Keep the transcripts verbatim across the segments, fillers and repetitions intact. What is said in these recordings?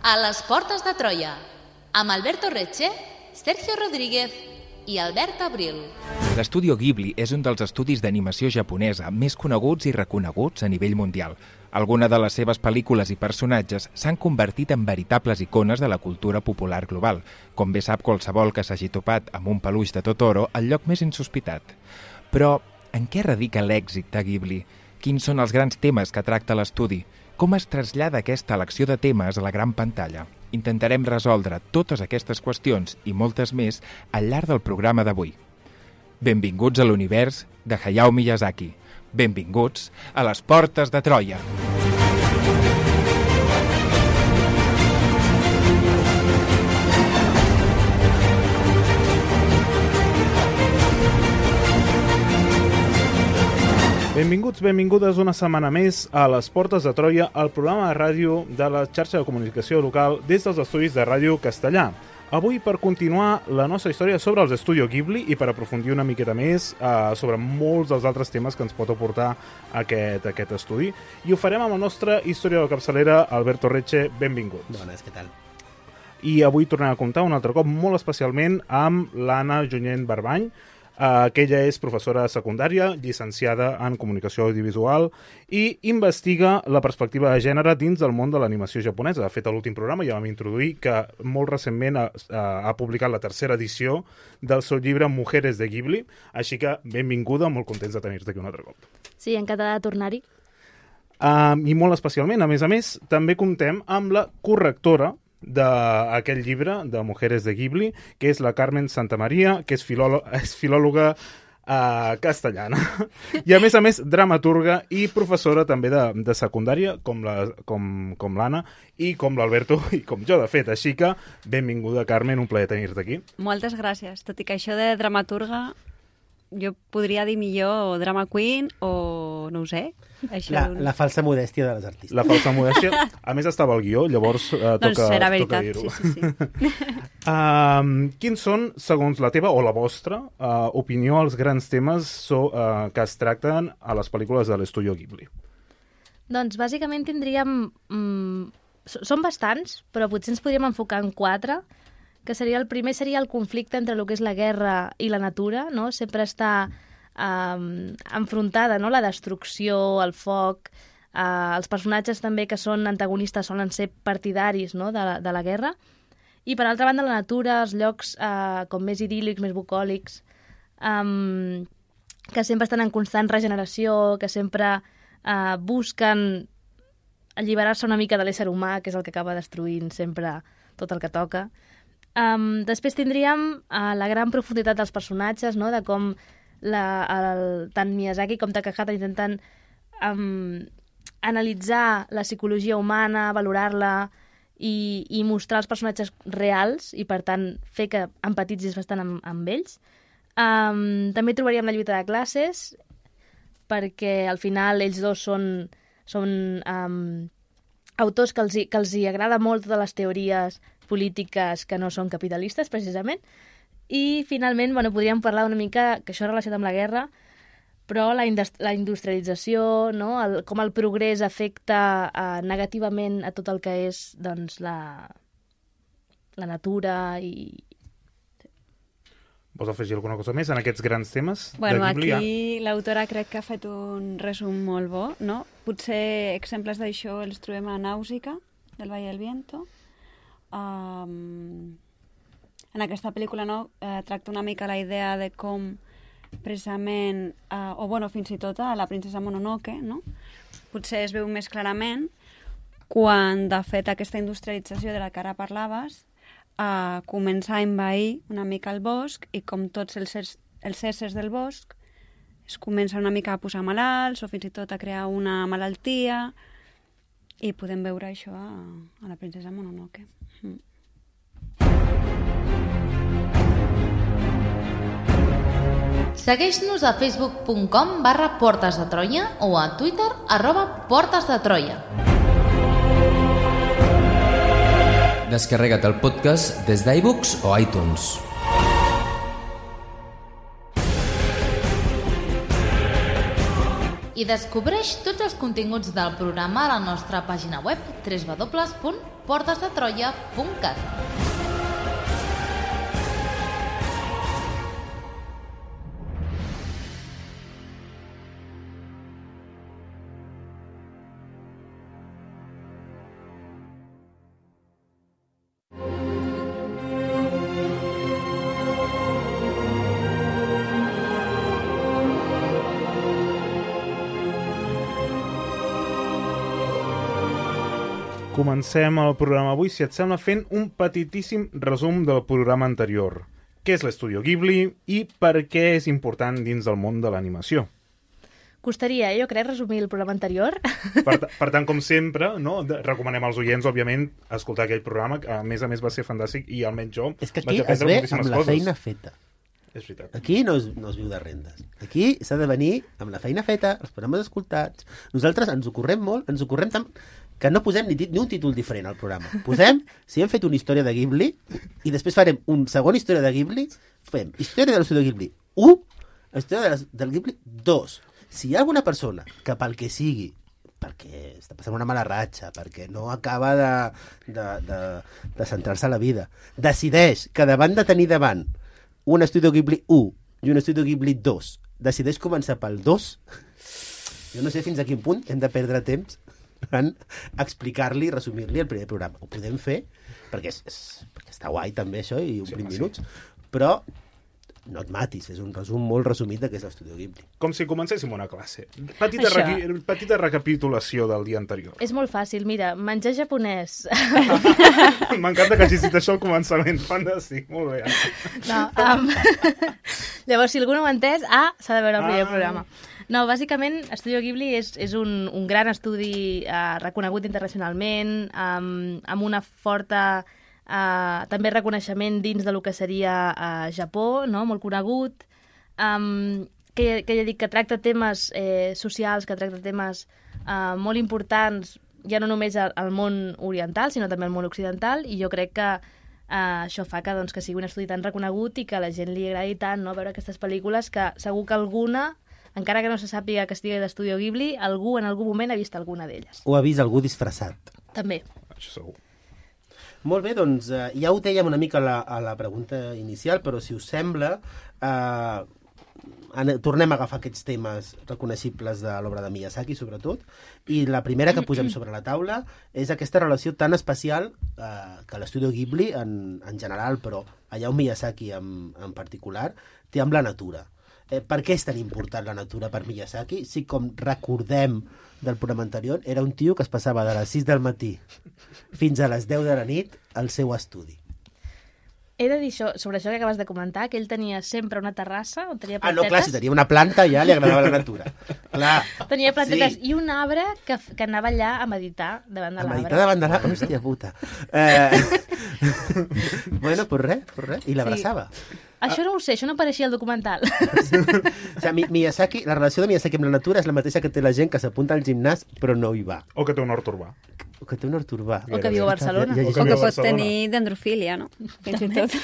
A les portes de Troia, amb Alberto Reche, Sergio Rodríguez i Albert Abril. L'Estudio Ghibli és un dels estudis d'animació japonesa més coneguts i reconeguts a nivell mundial. Algunes de les seves pel·lícules i personatges s'han convertit en veritables icones de la cultura popular global, com bé sap qualsevol que s'hagi topat amb un peluix de Totoro al lloc més insospitat. Però en què radica l'èxit de Ghibli? Quins són els grans temes que tracta l'estudi? Com es trasllada aquesta elecció de temes a la gran pantalla? Intentarem resoldre totes aquestes qüestions i moltes més al llarg del programa d'avui. Benvinguts a l'univers de Hayao Miyazaki. Benvinguts a les portes de Troia. Benvinguts, benvingudes una setmana més a les portes de Troia, el programa de ràdio de la xarxa de comunicació local des dels estudis de Ràdio Castellà. Avui per continuar la nostra història sobre els Estudio Ghibli i per aprofundir una miqueta més eh, sobre molts dels altres temes que ens pot aportar aquest, aquest estudi. I ho farem amb el nostre historiador de capçalera, Alberto Reche. Benvinguts. Bones, què tal? I avui tornem a comptar un altre cop, molt especialment, amb l'Anna Junyent Barbany, Uh, que ella és professora secundària, llicenciada en comunicació audiovisual i investiga la perspectiva de gènere dins del món de l'animació japonesa. De fet, a l'últim programa ja vam introduir que molt recentment ha, ha publicat la tercera edició del seu llibre Mujeres de Ghibli, així que benvinguda, molt contents de tenir-te aquí un altre cop. Sí, encantada de tornar-hi. Uh, I molt especialment, a més a més, també comptem amb la correctora d'aquell llibre, de Mujeres de Ghibli, que és la Carmen Santamaria, que és, filòlo és filòloga eh, castellana. I, a més a més, dramaturga i professora també de, de secundària, com la, com, com l'Anna, i com l'Alberto, i com jo, de fet. Així que, benvinguda, Carmen, un plaer tenir-te aquí. Moltes gràcies. Tot i que això de dramaturga, jo podria dir millor drama queen o no ho sé. Això la, la falsa modèstia de les artistes. La falsa modèstia. A més, estava al guió, llavors eh, toca, doncs serà veritat, toca dir-ho. sí, sí, sí. um, quins són, segons la teva o la vostra uh, opinió, els grans temes so, uh, que es tracten a les pel·lícules de l'Estudio Ghibli? Doncs bàsicament tindríem... Mm, són bastants, però potser ens podríem enfocar en quatre, que seria el primer seria el conflicte entre el que és la guerra i la natura, no? Sempre està um, enfrontada, no? La destrucció, el foc, uh, els personatges també que són antagonistes solen ser partidaris, no? de, la, de la guerra. I per altra banda la natura, els llocs uh, com més idíl·lics, més bucòlics, um, que sempre estan en constant regeneració, que sempre uh, busquen alliberar-se una mica de l'ésser humà, que és el que acaba destruint sempre tot el que toca. Um, després tindríem uh, la gran profunditat dels personatges, no? De com la, el, tant Miyazaki com Takahata intenten um, analitzar la psicologia humana, valorar-la i, i mostrar els personatges reals i, per tant, fer que empatitzis bastant amb, amb ells. Um, també trobaríem la lluita de classes, perquè al final ells dos són, són um, autors que els, hi, que els hi agrada molt totes les teories polítiques que no són capitalistes, precisament. I, finalment, bueno, podríem parlar una mica, que això és relacionat amb la guerra, però la, indust la industrialització, no? el, com el progrés afecta uh, negativament a tot el que és doncs, la, la natura i... Vols afegir alguna cosa més en aquests grans temes bueno, de Ghibli? Aquí l'autora crec que ha fet un resum molt bo, no? Potser exemples d'això els trobem a Nàusica, del Valle del Viento. Um, en aquesta pel·lícula no, eh, tracta una mica la idea de com precisament, uh, o bueno, fins i tot a la princesa Mononoke, no? Potser es veu més clarament quan, de fet, aquesta industrialització de la que ara parlaves uh, comença a envair una mica el bosc i com tots els, els éssers del bosc es comença una mica a posar malalts o fins i tot a crear una malaltia i podem veure això a, a la princesa Mononoke. Mm. Segueix-nos a facebook punt com barra Portes de Troia o a Twitter arroba Portes de Troia. Descarrega't el podcast des d'iBooks o iTunes. I descobreix tots els continguts del programa a la nostra pàgina web w w w punt portes de troia punt cat. Comencem el programa avui, si et sembla, fent un petitíssim resum del programa anterior. Què és l'Estudio Ghibli i per què és important dins del món de l'animació? Costaria, jo crec, resumir el programa anterior. Per, per tant, com sempre, no, de, recomanem als oients, òbviament, escoltar aquell programa, que a més a més va ser fantàstic i almenys jo És que aquí vaig es aprendre ve moltíssimes amb la coses. feina feta. És veritat. Aquí no es, no es viu de rendes. Aquí s'ha de venir amb la feina feta, els programes escoltats. Nosaltres ens ho correm molt, ens ho correm tant que no posem ni, ni un títol diferent al programa. Posem, si hem fet una història de Ghibli, i després farem un segon història de Ghibli, fem història de l'Estudio Ghibli u, història de la, del Ghibli dos. Si hi ha alguna persona que pel que sigui, perquè està passant una mala ratxa, perquè no acaba de, de, de, de centrar-se a la vida, decideix que davant de tenir davant un Estudio Ghibli u i un Estudio Ghibli dos, decideix començar pel dos, jo no sé fins a quin punt hem de perdre temps en explicar-li, resumir-li el primer programa. Ho podem fer, perquè, és, és, perquè està guai també això, i omplim sí, minuts, sí. Però no et matis, és un resum molt resumit de què és l'Estudio Ghibli. Com si comencéssim una classe. Petita, requi... Petita recapitulació del dia anterior. És molt fàcil, mira, menjar japonès. M'encanta que hagis dit això al començament, fantàstic, molt bé. No, um... Llavors, si algú no ho ha entès, ah, s'ha de veure el primer ah. programa. No, bàsicament, Estudio Ghibli és, és un, un gran estudi eh, reconegut internacionalment, amb, amb una forta eh, també reconeixement dins de lo que seria eh, Japó, no? Molt conegut, um, que, que ja dic que tracta temes eh, socials, que tracta temes eh, molt importants, ja no només al, al món oriental, sinó també al món occidental, i jo crec que Uh, això fa que, doncs, que sigui un estudi tan reconegut i que a la gent li agradi tant, no? Veure aquestes pel·lícules que segur que alguna, encara que no se sàpiga que estigui d'Estudio Ghibli, algú en algun moment ha vist alguna d'elles. O ha vist algú disfressat. També. Això segur. Molt bé, doncs uh, ja ho dèiem una mica a la, a la pregunta inicial, però si us sembla, uh, tornem a agafar aquests temes reconeixibles de l'obra de Miyazaki, sobretot, i la primera que posem sobre la taula és aquesta relació tan especial eh, que l'Estudio Ghibli en, en general, però allà on Miyazaki en, en particular, té amb la natura. Eh, per què és tan important la natura per Miyazaki? Si, com recordem del programa anterior, era un tio que es passava de les sis del matí fins a les deu de la nit al seu estudi. He de dir això, sobre això que acabes de comentar, que ell tenia sempre una terrassa on tenia plantetes. Ah, no, clar, si tenia una planta ja li agradava la natura. Clar. Tenia plantetes sí. I un arbre que, que anava allà a meditar davant de l'arbre. A meditar davant de l'arbre? Hòstia puta. Eh... bueno, pues res, pues res. I l'abraçava. Sí. Això no ho sé, això no apareixia al documental. O sigui, Miyazaki, la relació de Miyazaki amb la natura és la mateixa que té la gent que s'apunta al gimnàs però no hi va. O que té un hort urbà. O que té un hort urbà. O que viu a Barcelona. Ja, ja, ja, o que pot tenir dendrofília, no? Fins i tot.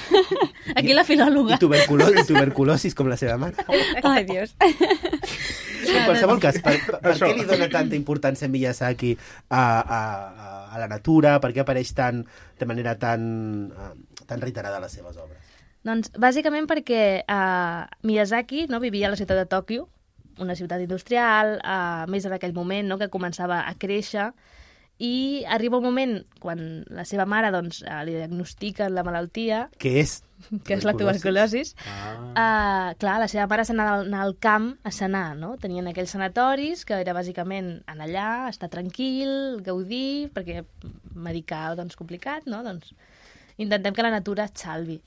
Aquí la filòloga. I, tuberculo i tuberculosis com la seva mare. Ai, Dios. En qualsevol cas, per, per, per què li dona tanta importància Miyazaki a, a, a la natura? Per què apareix tan, de manera tan, tan reiterada a les seves obres? Doncs bàsicament perquè uh, Miyazaki no, vivia a la ciutat de Tòquio, una ciutat industrial, uh, més en aquell moment, no, que començava a créixer, i arriba un moment quan la seva mare doncs, uh, li diagnostiquen la malaltia, que és, que és la tuberculosis. Ah. Uh, clar, la seva mare s'anava al, al camp a sanar, no? Tenien aquells sanatoris que era bàsicament anar allà, estar tranquil, gaudir, perquè medicar doncs complicat, no? Doncs intentem que la natura et salvi.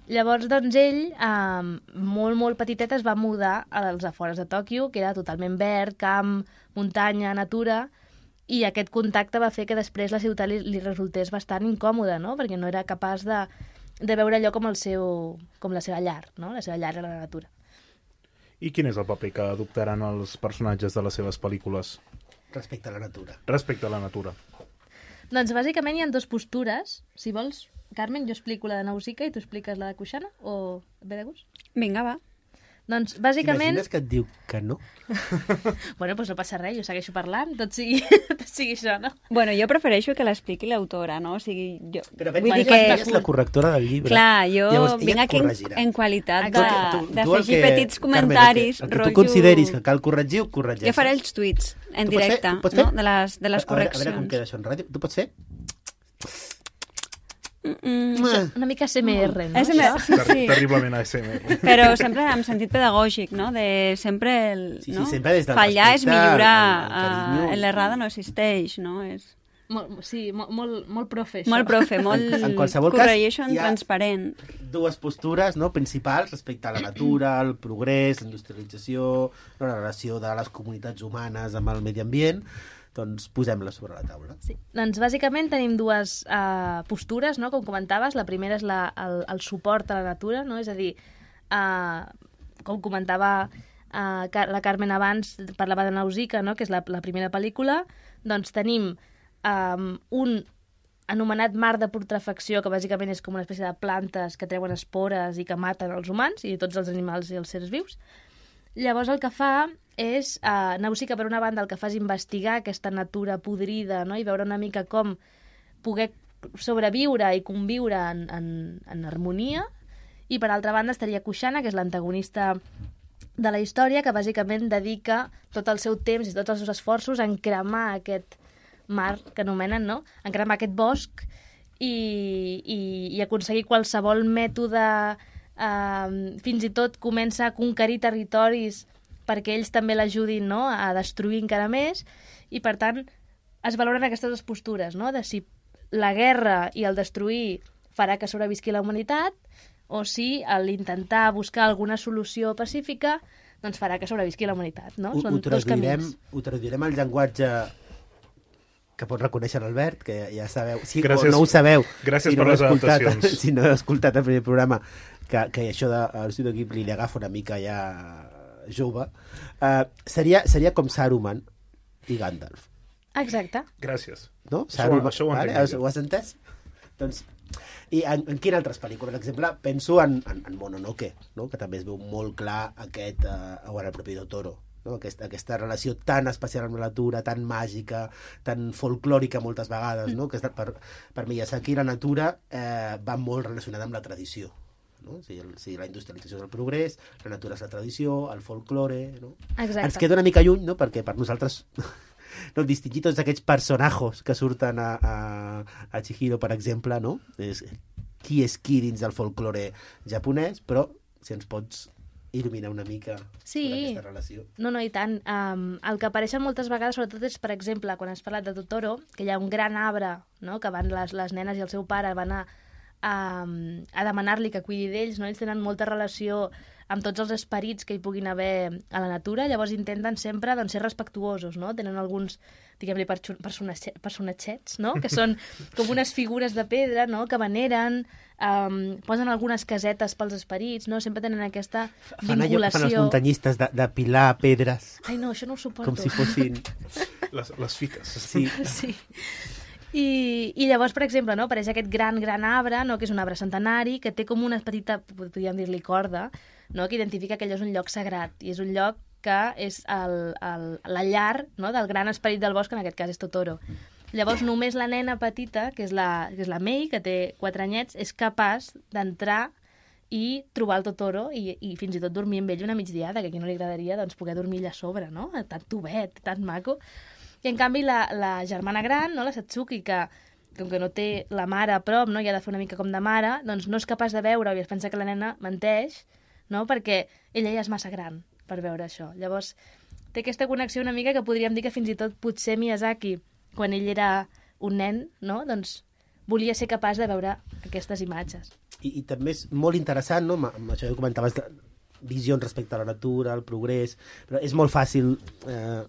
Llavors, doncs, ell, eh, molt, molt petitet, es va mudar als afores de Tòquio, que era totalment verd, camp, muntanya, natura, i aquest contacte va fer que després la ciutat li, li resultés bastant incòmoda, no? Perquè no era capaç de, de veure allò com, el seu, com la seva llar, no? La seva llar era la natura. I quin és el paper que adoptaran els personatges de les seves pel·lícules? Respecte a la natura. Respecte a la natura. Doncs bàsicament hi ha dues postures. Si vols, Carmen, jo explico la de Nausicaa i tu expliques la de Kushana, o et ve de gust? Vinga, va. Doncs, bàsicament... T'imagines que et diu que no? Bueno, doncs no passa res, jo segueixo parlant, tot sigui, tot sigui això, no? Bueno, jo prefereixo que l'expliqui l'autora, no? O sigui, jo... Però vull pensa dir que que... és la correctora del llibre. Clar, jo Llavors, ella vinc et aquí en, corregirà. en qualitat Tu- de- tu- tu el d'afegir que- petits Carmen, comentaris, el que, el que rotllo... tu consideris que cal corregir, ho corregeixes. Jo faré els tuits en Tu pots fer- directe, tu pots fer? no? De les, de les A veure, a veure com correccions. queda això en ràdio. Tu pots fer? Mm, Una mica S M R, no? S M R, Això? sí, Ter sí. Terriblement A S M R. Però sempre amb sentit pedagògic, no? De sempre el, Sí, sí, no? sempre des del Fallar és respecte, millorar, el- el carinyo. eh, l'errada no existeix, no? És Molt, sí, molt, molt, molt profe, això. molt profe, molt En, en qualsevol cas, corregeixo en hi ha transparent. dues postures, no, principals respecte a la natura, al progrés, la industrialització, no, la relació de les comunitats humanes amb el medi ambient. Doncs posem-les sobre la taula. Sí. Doncs bàsicament tenim dues uh, postures, no? Com comentaves. La primera és la, el, el suport a la natura, no? És a dir, uh, com comentava uh, la Carmen abans, parlava de Nausicaa, no? Que és la, la primera pel·lícula. Doncs tenim um, un anomenat mar de putrefacció, que bàsicament és com una espècie de plantes que treuen espores i que maten els humans i tots els animals i els seres vius. Llavors el que fa és, eh, Nausicaa, per una banda, el que fa és investigar aquesta natura podrida, no? I veure una mica com poder sobreviure i conviure en, en, en harmonia. I per altra banda estaria Kushana, que és l'antagonista de la història, que bàsicament dedica tot el seu temps i tots els seus esforços a encremar aquest mar, que anomenen, no? Encremar aquest bosc i, i, i aconseguir qualsevol mètode. Uh, fins i tot comença a conquerir territoris perquè ells també l'ajudin, no? A destruir encara més, i per tant es valoren aquestes dues postures, no? De si la guerra i el destruir farà que sobrevisqui la humanitat o si l'intentar buscar alguna solució pacífica doncs farà que sobrevisqui la humanitat, no? Ho, Són ho, dos traduirem, camins. ho traduirem al llenguatge que pot reconèixer l'Albert, que ja sabeu, si Gràcies- o no ho sabeu, gràcies si no per les heu escoltat, adaptacions. si no heu escoltat el primer programa, que, que això de l'Estudio Ghibli li agafa una mica ja jove, uh, seria, seria com Saruman i Gandalf. Exacte. Gràcies. No? Això ho- això ho vale? entenc Has, millor. ho has entès? Doncs, i en, en quines altres pel·lícules? Per exemple, penso en, en, en Mononoke, no? Que també es veu molt clar aquest, uh, o en el propi Totoro, no? Aquesta, aquesta relació tan especial amb la natura, tan màgica, tan folclòrica moltes vegades, no? Que per, per Miyazaki la natura eh, va molt relacionada amb la tradició. No? O sigui, el, o sigui, la industrialització és el progrés, la natura és la tradició, el folklore, no? Exacte. Ens queda una mica lluny, no? Perquè per nosaltres no, distingir tots aquests personatges que surten a, a, a Chihiro, per exemple, no? És, qui és qui dins del folklore japonès, però si ens pots il·luminar una mica Sí. sobre aquesta relació. No, no, i tant. Um, el que apareixen moltes vegades, sobretot, és, per exemple, quan has parlat de Totoro, que hi ha un gran arbre, no?, que van les, les nenes i el seu pare van a, a, a demanar-li que cuidi d'ells, no? Ells tenen molta relació amb tots els esperits que hi puguin haver a la natura, llavors intenten sempre doncs, ser respectuosos, no? Tenen alguns, diguem-li, personatge- personatgets, no? Que són com unes figures de pedra, no?, que veneren, um, posen algunes casetes pels esperits, no? Sempre tenen aquesta Fan allò que vinculació. fan els muntanyistes, de, de pilar pedres, Ai, no, això no ho suporto. com si fossin... Les, les fites. Sí. Sí. I, I llavors, per exemple, no, apareix aquest gran, gran arbre, no, que és un arbre centenari, que té com una petita, podríem dir-li corda, no, que identifica que allò és un lloc sagrat, i és un lloc que és el, el, la llar, no, del gran esperit del bosc, en aquest cas és Totoro. Llavors, només la nena petita, que és la, que és la Mei, que té quatre anyets, és capaç d'entrar i trobar el Totoro i, i fins i tot dormir amb ell una migdiada, que a qui no li agradaria doncs, poder dormir allà a sobre, no? Tan tubet, tan maco. I en canvi la, la germana gran, no, la Satsuki, que com que no té la mare a prop, no, i ha de fer una mica com de mare, doncs no és capaç de veure-ho i es pensa que la nena menteix, no, perquè ella ja és massa gran per veure això. Llavors té aquesta connexió una mica que podríem dir que fins i tot potser Miyazaki, quan ell era un nen, no, doncs volia ser capaç de veure aquestes imatges. I, i també és molt interessant, no? Amb això que comentaves, de visions respecte a la natura, al progrés, però és molt fàcil eh,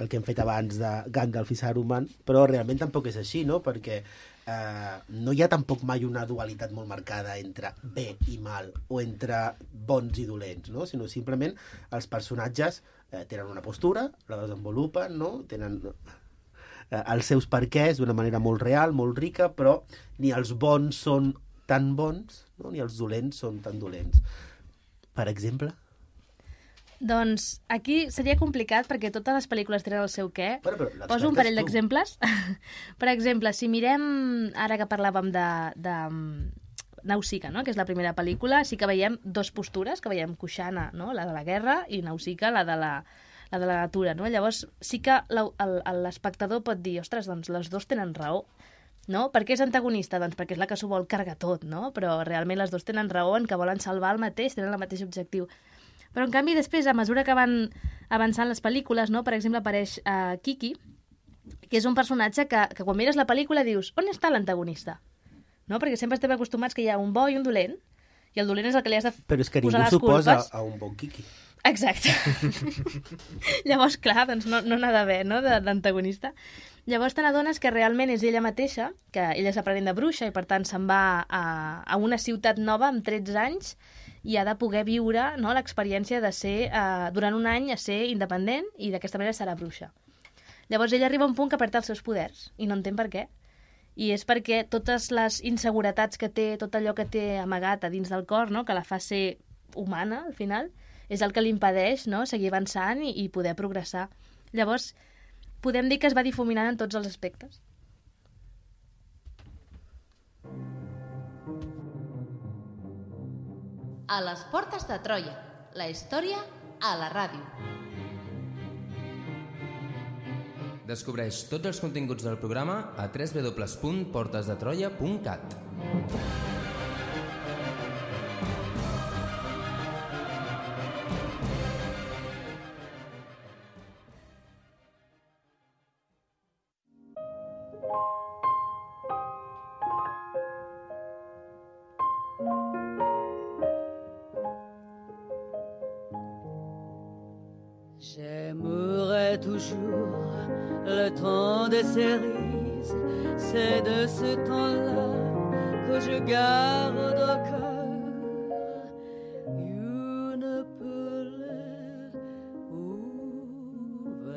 el que hem fet abans de Gandalf i Saruman, però realment tampoc és així, no? Perquè eh, no hi ha tampoc mai una dualitat molt marcada entre bé i mal, o entre bons i dolents, no? Sinó simplement els personatges eh, tenen una postura, la desenvolupen, no? Tenen eh, els seus perquès d'una manera molt real, molt rica, però ni els bons són tan bons, no? Ni els dolents són tan dolents. Per exemple? Doncs aquí seria complicat perquè totes les pel·lícules tenen el seu què. Però, però, l'expert Poso un és parell tu. d'exemples. Per exemple, si mirem, ara que parlàvem de, de Nausicaa, no? Que és la primera pel·lícula, sí que veiem dos postures, que veiem Kushana, no? La de la guerra, i Nausicaa, la de la, la de la natura. No? Llavors sí que l'espectador pot dir, ostres, doncs les dos tenen raó. No? Per què és antagonista? Doncs perquè és la que s'ho vol carregar tot, no? Però realment les dues tenen raó en que volen salvar el mateix, tenen el mateix objectiu. Però en canvi després, a mesura que van avançant les pel·lícules, no? Per exemple apareix uh, Kiki, que és un personatge que, que quan mires la pel·lícula dius, on està l'antagonista? No? Perquè sempre estem acostumats que hi ha un bo i un dolent, i el dolent és el que li has de Però és que posar ningú les s'oposa culpes. a un bon Kiki. Exacte. Llavors, clar, doncs no no n'ha d'haver, no?, de- d'antagonista. Llavors te n'adones que realment és ella mateixa, que ella és aprenent de bruixa i per tant se'n va a, a una ciutat nova amb tretze anys i ha de poder viure, no, l'experiència de ser, eh, durant un any, a ser independent i d'aquesta manera serà bruixa. Llavors ella arriba a un punt que perd els seus poders i no entén per què. I és perquè totes les inseguretats que té, tot allò que té amagat a dins del cor, no?, que la fa ser humana, al final, és el que li impedeix, no?, seguir avançant i, i poder progressar. Llavors, podem dir que es va difuminant en tots els aspectes. A les portes de Troia, la història a la ràdio. Descobreix tots els continguts del programa a w w w punt portes de troia punt cat. J'aimerais toujours le temps des cerises, c'est de ce temps-là que je garde au cœur une plaie ouverte.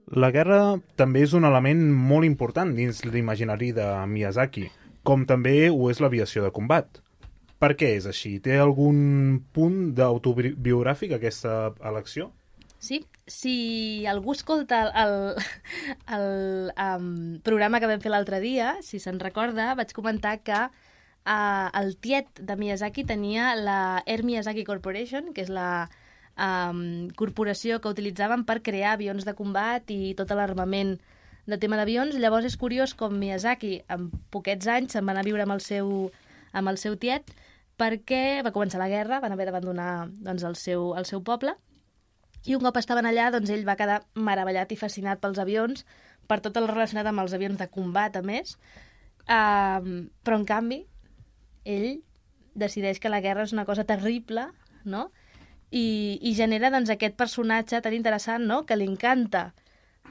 La guerra també és un element molt important dins l'imaginari de Miyazaki, com també ho és l'aviació de combat. Per què és així? Té algun punt d'autobiogràfic aquesta elecció? Sí, si algú escolta el, el, el um, programa que vam fer l'altre dia, si se'n recorda, vaig comentar que uh, el tiet de Miyazaki tenia la Air Miyazaki Corporation, que és la um, corporació que utilitzaven per crear avions de combat i tot l'armament de tema d'avions. Llavors és curiós com Miyazaki, en poquets anys, se'n va anar a viure amb el seu, amb el seu tiet, perquè va començar la guerra, van haver d'abandonar doncs, el, seu, el seu poble, i un cop estaven allà, doncs, ell va quedar meravellat i fascinat pels avions, per tot el relacionat amb els avions de combat, a més, um, però, en canvi, ell decideix que la guerra és una cosa terrible, no?, i, i genera doncs, aquest personatge tan interessant, no?, que li encanta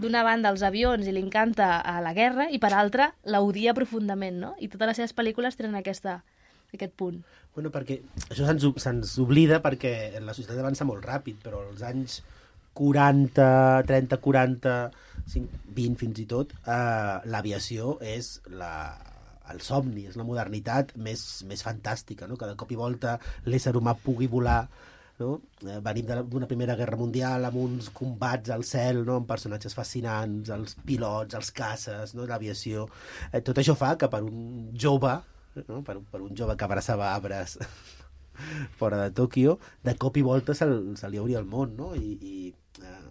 d'una banda els avions i li encanta a la guerra, i per altra l'odia profundament, no?, i totes les seves pel·lícules tenen aquesta aquest punt. Bueno, perquè això se'ns se'ns oblida perquè la societat avança molt ràpid, però als anys quaranta, trenta, quaranta, vint fins i tot, eh, l'aviació és la, el somni, és la modernitat més, més fantàstica, no? Que de cop i volta l'ésser humà pugui volar, no? Eh, venim d'una primera guerra mundial amb uns combats al cel, no? Amb personatges fascinants, els pilots, els caces, no? L'aviació. Eh, tot això fa que per un jove, no? per, per un jove que abraçava arbres fora de Tòquio, de cop i volta se, se li obria el món, no? I, i eh,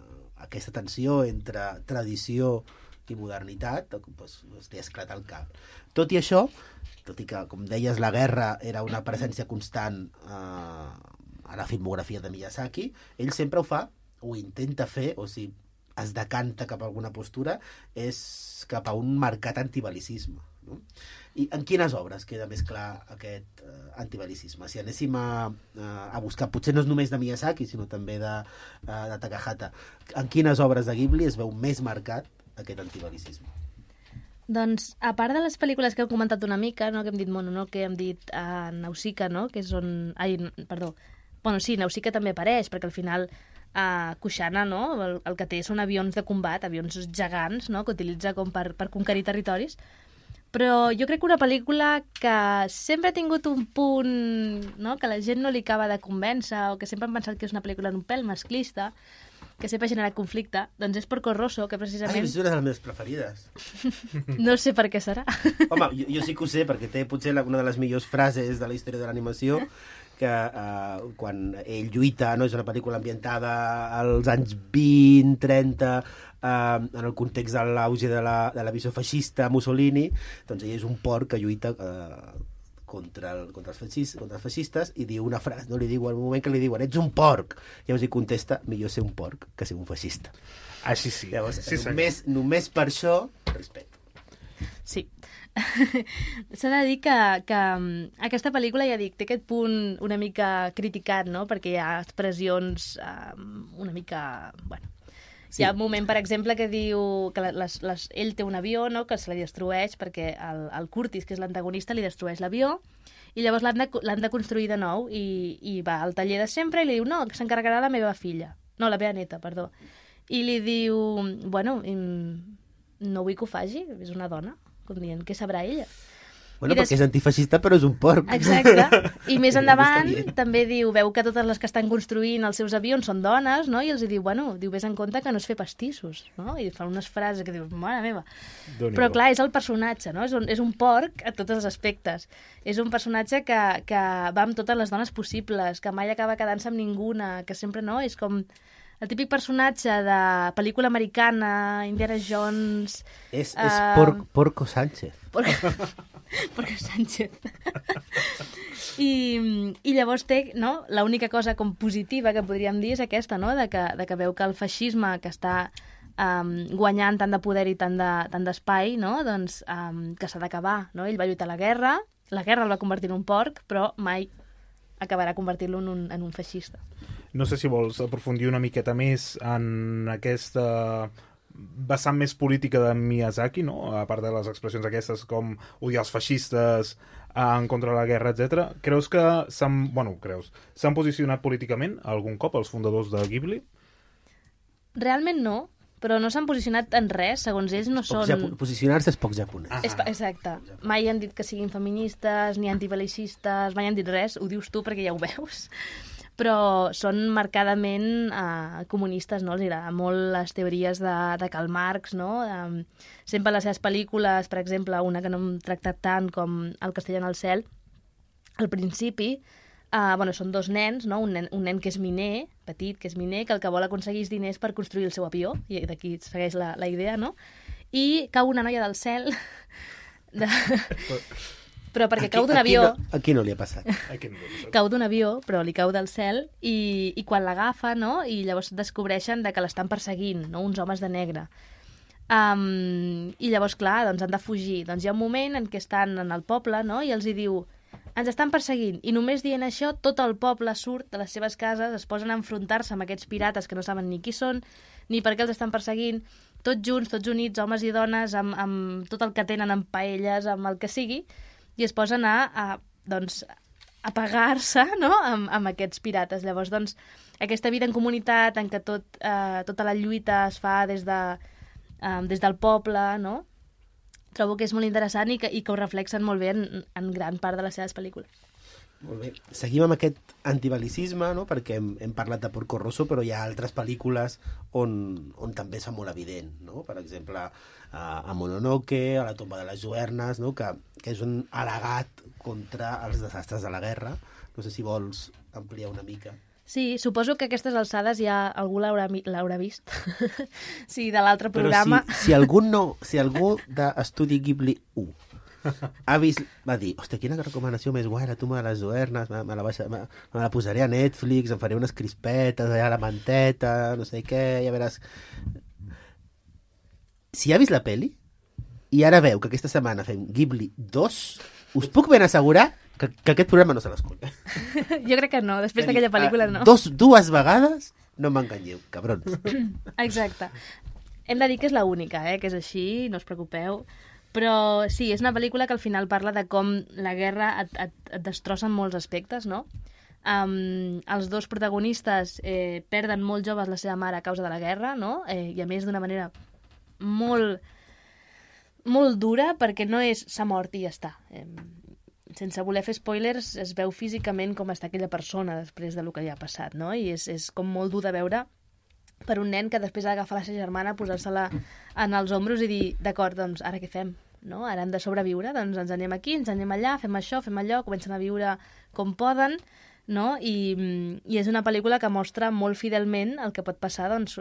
aquesta tensió entre tradició i modernitat doncs, doncs li esclata el cap. Tot i això, tot i que, com deies, la guerra era una presència constant eh, a la filmografia de Miyazaki, ell sempre ho fa, ho intenta fer, o si es decanta cap a alguna postura, és cap a un marcat antibelicisme, no? I en quines obres queda més clar aquest uh, antibelicisme? Si anéssim a, a buscar, potser no és només de Miyazaki, sinó també de, uh, de Takahata, en quines obres de Ghibli es veu més marcat aquest antibelicisme? Doncs, a part de les pel·lícules que heu comentat una mica, no, que hem dit Mononoke, que hem dit uh, Nausicaa, no, que és on... Ai, perdó. Bueno, sí, Nausicaa també apareix, perquè al final uh, Kushana, no, el, el que té són avions de combat, avions gegants, no, que utilitza com per, per conquerir territoris. Però jo crec que una pel·lícula que sempre ha tingut un punt, no?, que la gent no li acaba de convèncer, o que sempre han pensat que és una pel·lícula un pèl masclista, que sempre ha generat conflicte, doncs és Porco Rosso, que precisament... Ah, és una de les meves preferides. No sé per què serà. Home, jo, jo sí que ho sé, perquè té potser la, una de les millors frases de la història de l'animació, que uh, quan ell lluita, no? És una pel·lícula ambientada als anys vint, trenta, uh, en el context de l'auge de la, de la visió feixista Mussolini, doncs ell és un porc que lluita uh, contra, el, contra, els feixistes, contra els feixistes i diu una frase, no li diu al moment que li diuen ets un porc, llavors ell contesta millor ser un porc que ser un feixista. Així sí. Llavors, sí, només, només per això, respecte. Sí. S'ha de dir que, que aquesta pel·lícula, ja dic, té aquest punt una mica criticat, no?, perquè hi ha expressions um, una mica... Bueno, sí. Hi ha un moment, per exemple, que diu que les, les, ell té un avió, no?, que se li destrueix perquè el, el Curtis, que és l'antagonista, li destrueix l'avió i llavors l'han de, l'han de construir de nou i, i va al taller de sempre i li diu, no, que s'encarregarà la meva filla. No, la meva neta, perdó. I li diu, bueno, no vull que ho faci, és una dona, com dient, què sabrà ella? Bueno, des... perquè és antifeixista, però és un porc. Exacte. I més endavant també diu, veu que totes les que estan construint els seus avions són dones, no? I els diu, bueno, diu, vés en compte que no es fer pastissos, no? I fan unes frases que dius, mare meva. Però clar, és el personatge, no? És un, és un porc a tots els aspectes. És un personatge que, que va amb totes les dones possibles, que mai acaba quedant-se amb ninguna, que sempre, no? És com... El típic personatge de pel·lícula americana, Indiana Jones... És, és uh... por, Porco Sánchez. Porco, Porco Sánchez. I, I llavors té, no?, l'única cosa com positiva que podríem dir és aquesta, no?, de que, de que veu que el feixisme que està um, guanyant tant de poder i tant de, tant d'espai, no?, doncs um, que s'ha d'acabar, no? Ell va lluitar a la guerra, la guerra el va convertir en un porc, però mai acabarà convertir-lo en un, en un feixista. No sé si vols aprofundir una miqueta més en aquesta vessant més política de Miyazaki, no? A part de les expressions aquestes com odiar els feixistes, en contra de la guerra, etcètera. Creus que s'han, bueno, creus, s'han posicionat políticament algun cop els fundadors de Ghibli? Realment no, però no s'han posicionat en res, segons ells no són... Japo... Posicionar-se és poc japonès. Ah. És, exacte. Mai han dit que siguin feministes, ni antibel·licistes, mai han dit res, ho dius tu perquè ja ho veus. Però són marcadament uh, comunistes, no? Els agrada molt les teories de, de Karl Marx, no? Um, sempre les seves pel·lícules, per exemple, una que no hem tractat tant com El castell en el cel, al principi, uh, bueno, són dos nens, no? Un nen, un nen que és miner, petit, que és miner, que el que vol aconseguir és diners per construir el seu avió, i d'aquí segueix la, la idea, no? I cau una noia del cel... De... Però perquè aquí, cau d'un avió... No, aquí no li ha passat. Aquí no li ha passat. Cau d'un avió, però li cau del cel, i, i quan l'agafa, no?, i llavors descobreixen de que l'estan perseguint, no?, uns homes de negre. Um, I llavors, clar, doncs han de fugir. Doncs hi ha un moment en què estan en el poble, no?, i els hi diu, ens estan perseguint. I només dient això, tot el poble surt de les seves cases, es posen a enfrontar-se amb aquests pirates que no saben ni qui són, ni per què els estan perseguint, tots junts, tots units, homes i dones, amb, amb tot el que tenen, amb paelles, amb el que sigui, i es posen a, a, doncs, a pagar-se, no?, amb, amb aquests pirates. Llavors, doncs, aquesta vida en comunitat en què tot, eh, tota la lluita es fa des, de, eh, des del poble, no?, trobo que és molt interessant i que, i que ho reflexen molt bé en, en gran part de les seves pel·lícules. Molt bé. Seguim amb aquest antibel·licisme, no?, perquè hem, hem parlat de Porco Rosso, però hi ha altres pel·lícules on, on també és molt evident, no? Per exemple, a, a Mononoke, a La tomba de les lluernes, no?, que, que és un al·legat contra els desastres de la guerra. No sé si vols ampliar una mica. Sí, suposo que a aquestes alçades ja algú l'haurà, l'haurà vist. Sí, de l'altre programa. Però si, si algú no, si algú d'Estudi Ghibli u ha vist, va dir, hòstia, quina recomanació més guai, La tomba de les lluernes, me, me, la baixa, me, me la posaré a Netflix, em faré unes crispetes allà a la manteta, no sé què, ja veràs. Si ha vist la peli i ara veu que aquesta setmana fem Ghibli dos, us puc ben assegurar que, que aquest programa no se l'escolta. Jo crec que no, després d'aquella pel·lícula no. Dos, dues vegades no m'enganyeu, cabrons. Exacte. Hem de dir que és l'única, eh, que és així, no us preocupeu. Però sí, és una pel·lícula que al final parla de com la guerra et, et, et destrossa en molts aspectes, no? Um, els dos protagonistes eh, perden molt joves la seva mare a causa de la guerra, no? Eh, I a més d'una manera molt molt dura perquè no és s'ha mort i ja està. Eh, sense voler fer spoilers, es veu físicament com està aquella persona després del que li ha passat, no? I és, és com molt dur de veure per un nen que després ha d'agafar la seva germana, posar-se-la en els ombros i dir, d'acord, doncs ara què fem? No? Ara hem de sobreviure, doncs ens anem aquí, ens anem allà, fem això, fem allò, comencen a viure com poden, no? I, i és una pel·lícula que mostra molt fidelment el que pot passar doncs,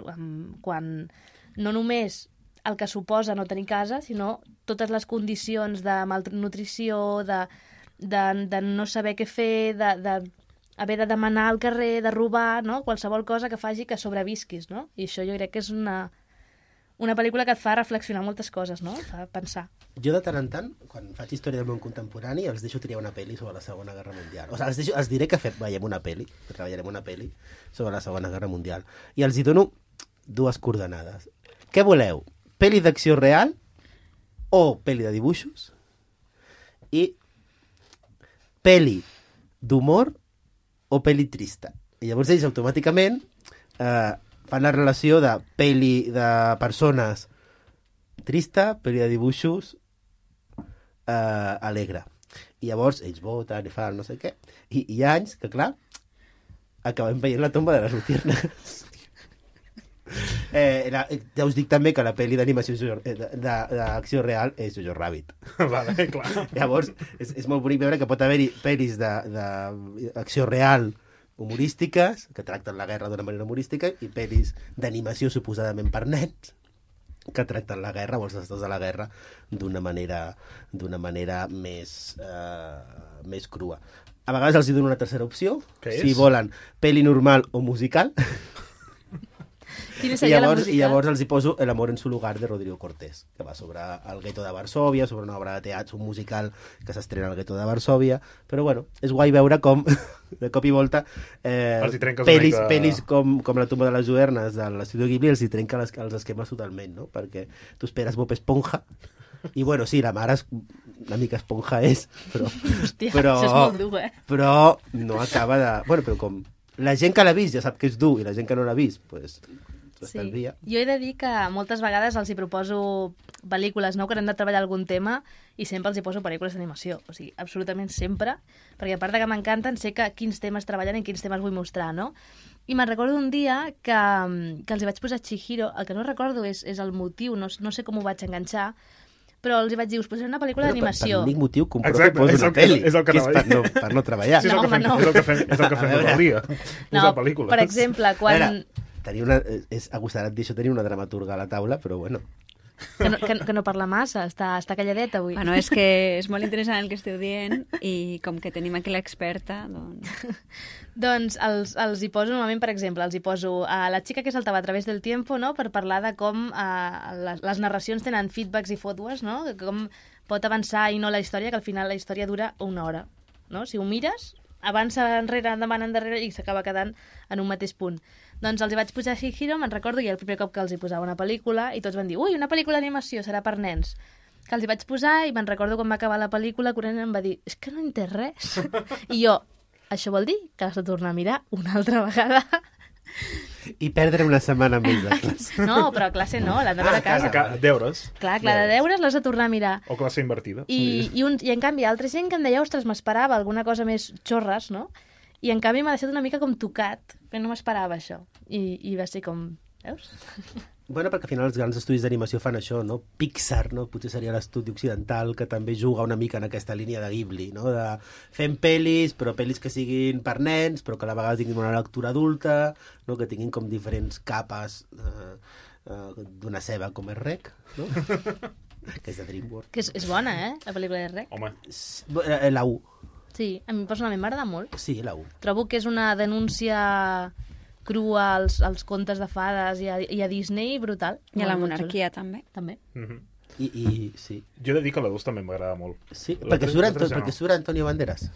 quan no només el que suposa no tenir casa, sinó totes les condicions de malnutrició, de, de, de no saber què fer, de, de haver de demanar al carrer, de robar, no? Qualsevol cosa que faci que sobrevisquis, no? I això jo crec que és una, una pel·lícula que et fa reflexionar moltes coses, no? Et fa pensar. Jo de tant en tant, quan faig història del món contemporani, els deixo triar una pel·li sobre la Segona Guerra Mundial. O sigui, els, deixo, els diré que fem, veiem una pel·li, que treballarem una pel·li sobre la Segona Guerra Mundial. I els hi dono dues coordenades. Què voleu? Pel·li d'acció real o pel·li de dibuixos? I pel·li d'humor o pel·li trista. I llavors ells automàticament eh, fan la relació de pel·li de persones trista, pel·li de dibuixos eh, alegre. I llavors ells voten i fan no sé què. I hi ha anys que, clar, acabem veient La tomba de les luciernes. Eh, la, ja us dic també que la pel·li d'animació d'acció real és Jojo Rabbit. Vale, clar. Llavors, és, és molt bonic veure que pot haver-hi pel·lis d'acció real humorístiques, que tracten la guerra d'una manera humorística, i pel·lis d'animació suposadament per nens, que tracten la guerra o els desastres de la guerra d'una manera, d'una manera més, eh, més crua. A vegades els hi dono una tercera opció, si volen pel·li normal o musical. I llavors, I llavors els hi poso El amor en su lugar de Rodrigo Cortés, que va sobre el gueto de Varsòvia, sobre una obra de teatre, un musical que s'estrena al gueto de Varsòvia, però bueno, és guai veure com de cop i volta eh, pel·lis, mica... pel·lis com, com La tomba de les Luernes de l'Estudio Ghibli els hi trenca les, els esquemes totalment, no? Perquè tu esperes Bob Esponja i bueno, sí, la mare és, una mica esponja és, però, hòstia, però, això és molt dur, eh? Però no acaba de... Bueno, però com la gent que l'ha vist ja sap que és dur i la gent que no l'ha vist, doncs... Sí. Jo he de dir que moltes vegades els hi proposo pel·lícules, no?, que han de treballar algun tema i sempre els hi poso pel·lícules d'animació. O sigui, absolutament sempre, perquè a part de que m'encanten, sé que quins temes treballen i quins temes vull mostrar, no? I me'n recordo un dia que, que els hi vaig posar Chihiro, el que no recordo és, és el motiu, no, no sé com ho vaig enganxar, però els hi vaig dir, us posaré una pel·lícula d'animació. Per l'únic motiu que un profe posa una pel·li, és el que, que és per no, per no treballar. Sí, és el que fem, no. És el que fem, és el que fem tot el dia. No, per exemple, quan... Veure, tenia una, és agosarat dir això, tenia una dramaturga a la taula, però bueno. Que no, que, que no parla massa, està, està calladeta avui. Bueno, és que és molt interessant el que esteu dient i com que tenim aquí l'experta, doncs... doncs els, els hi poso normalment, per exemple, els hi poso a La xica que saltava a través del tiempo, no?, per parlar de com eh, les, les narracions tenen feedbacks i fotos, no?, com pot avançar i no la història, que al final la història dura una hora, no? Si ho mires, avança enrere, endavant, endarrere i s'acaba quedant en un mateix punt. Doncs els hi vaig posar Chihiro, me'n recordo, i el primer cop que els hi posava una pel·lícula, i tots van dir, ui, una pel·lícula d'animació, serà per nens. Que els hi vaig posar, i me'n recordo quan va acabar la pel·lícula, que un nen em va dir, és que no entès res. I jo, això vol dir que l'has de tornar a mirar una altra vegada. I perdre una setmana més de classe. No, però a classe no, l'han de veure a casa. Ah, deures. Clar, clar, de deures l'has de tornar a mirar. O classe invertida. I, i, un, i en canvi, altra gent que em deia, ostres, m'esperava alguna cosa més xorres, no? I en canvi m'ha deixat una mica com tocat, que no m'esperava això. I, I va ser com... Veus? Bueno, perquè al final els grans estudis d'animació fan això, no? Pixar, no? Potser seria l'estudi occidental que també juga una mica en aquesta línia de Ghibli, no? De fem pel·lis, però pel·lis que siguin per nens, però que a la vegada tinguin una lectura adulta, no? Que tinguin com diferents capes eh, eh, d'una ceba com és Rec, no? Que és de DreamWorks. Que és, és bona, eh? La pel·lícula de Rec. Home. La U. Sí, a mi personalment m'agrada molt. Sí, la U. Trobo que és una denúncia crua als, als contes de fades i a, i a Disney brutal. I a la monarquia també. També. Mm-hmm. I, i, sí. Jo he de dir que la dos també m'agrada molt. Sí, perquè surt, Anto, perquè surt Antonio Banderas.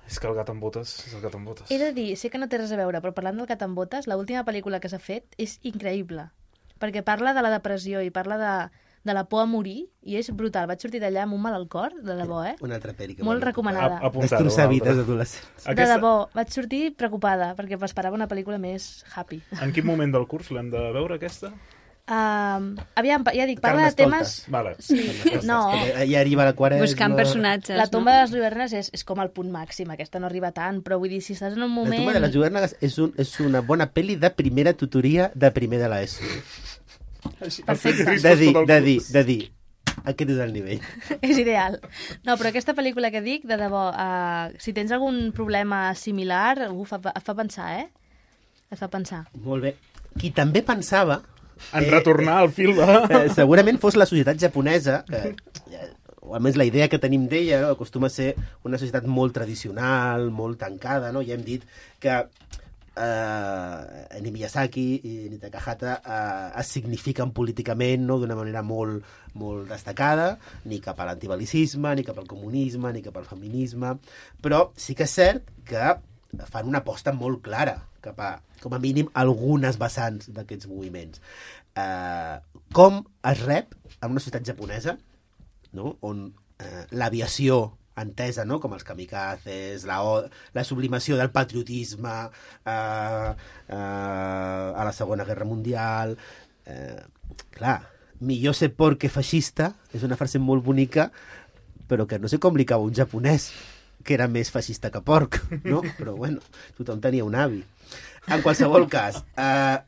És que el gat amb botes és el gat amb botes. He de dir, sé que no té res a veure, però parlant del gat amb botes, l'última pel·lícula que s'ha fet és increïble. Perquè parla de la depressió i parla de... de la por a morir, i és brutal. Vaig sortir d'allà amb un mal al cor, de debò, eh? Una altra pel·li que molt recomanada. Destrossar vides adolescents. De debò, vaig sortir preocupada, perquè m'esperava una pel·lícula més happy. En quin moment del curs l'hem de veure, aquesta? Uh, aviam, ja dic, parla de temes... Vale. Sí, no. Ja arriba la quaresma... Buscant personatges, La tomba no? de les lluernes és, és com el punt màxim, aquesta no arriba tant, però vull dir, si estàs en un moment... La tomba de les lluernes és, un, és una bona pel·li de primera tutoria de primer de l'ESO. Perfecte. De dir, de dir, de dir, aquest és el nivell. És ideal. No, però aquesta pel·lícula que dic, de debò, uh, si tens algun problema similar, uf, fa, fa pensar, eh? Et fa pensar. Molt bé. Qui també pensava... En retornar al fil de... Eh, segurament fos la societat japonesa, que, eh, o almenys la idea que tenim d'ella, no? Acostuma a ser una societat molt tradicional, molt tancada, no? Ja hem dit que eh, ni Miyazaki ni Takahata eh, es signifiquen políticament, no? D'una manera molt, molt destacada, ni cap a l'antibalicisme, ni cap al comunisme, ni cap al feminisme, però sí que és cert que fan una aposta molt clara cap a, com a mínim, algunes vessants d'aquests moviments. Eh, com es rep en una societat japonesa, no? On eh, l'aviació entesa, no? Com els kamikazes, la, la sublimació del patriotisme eh, eh, a la Segona Guerra Mundial... Eh, clar, millor ser porc que feixista és una frase molt bonica, però que no sé com li cau un japonès que era més feixista que porc, no? Però bueno, tothom tenia un avi. En qualsevol cas, eh,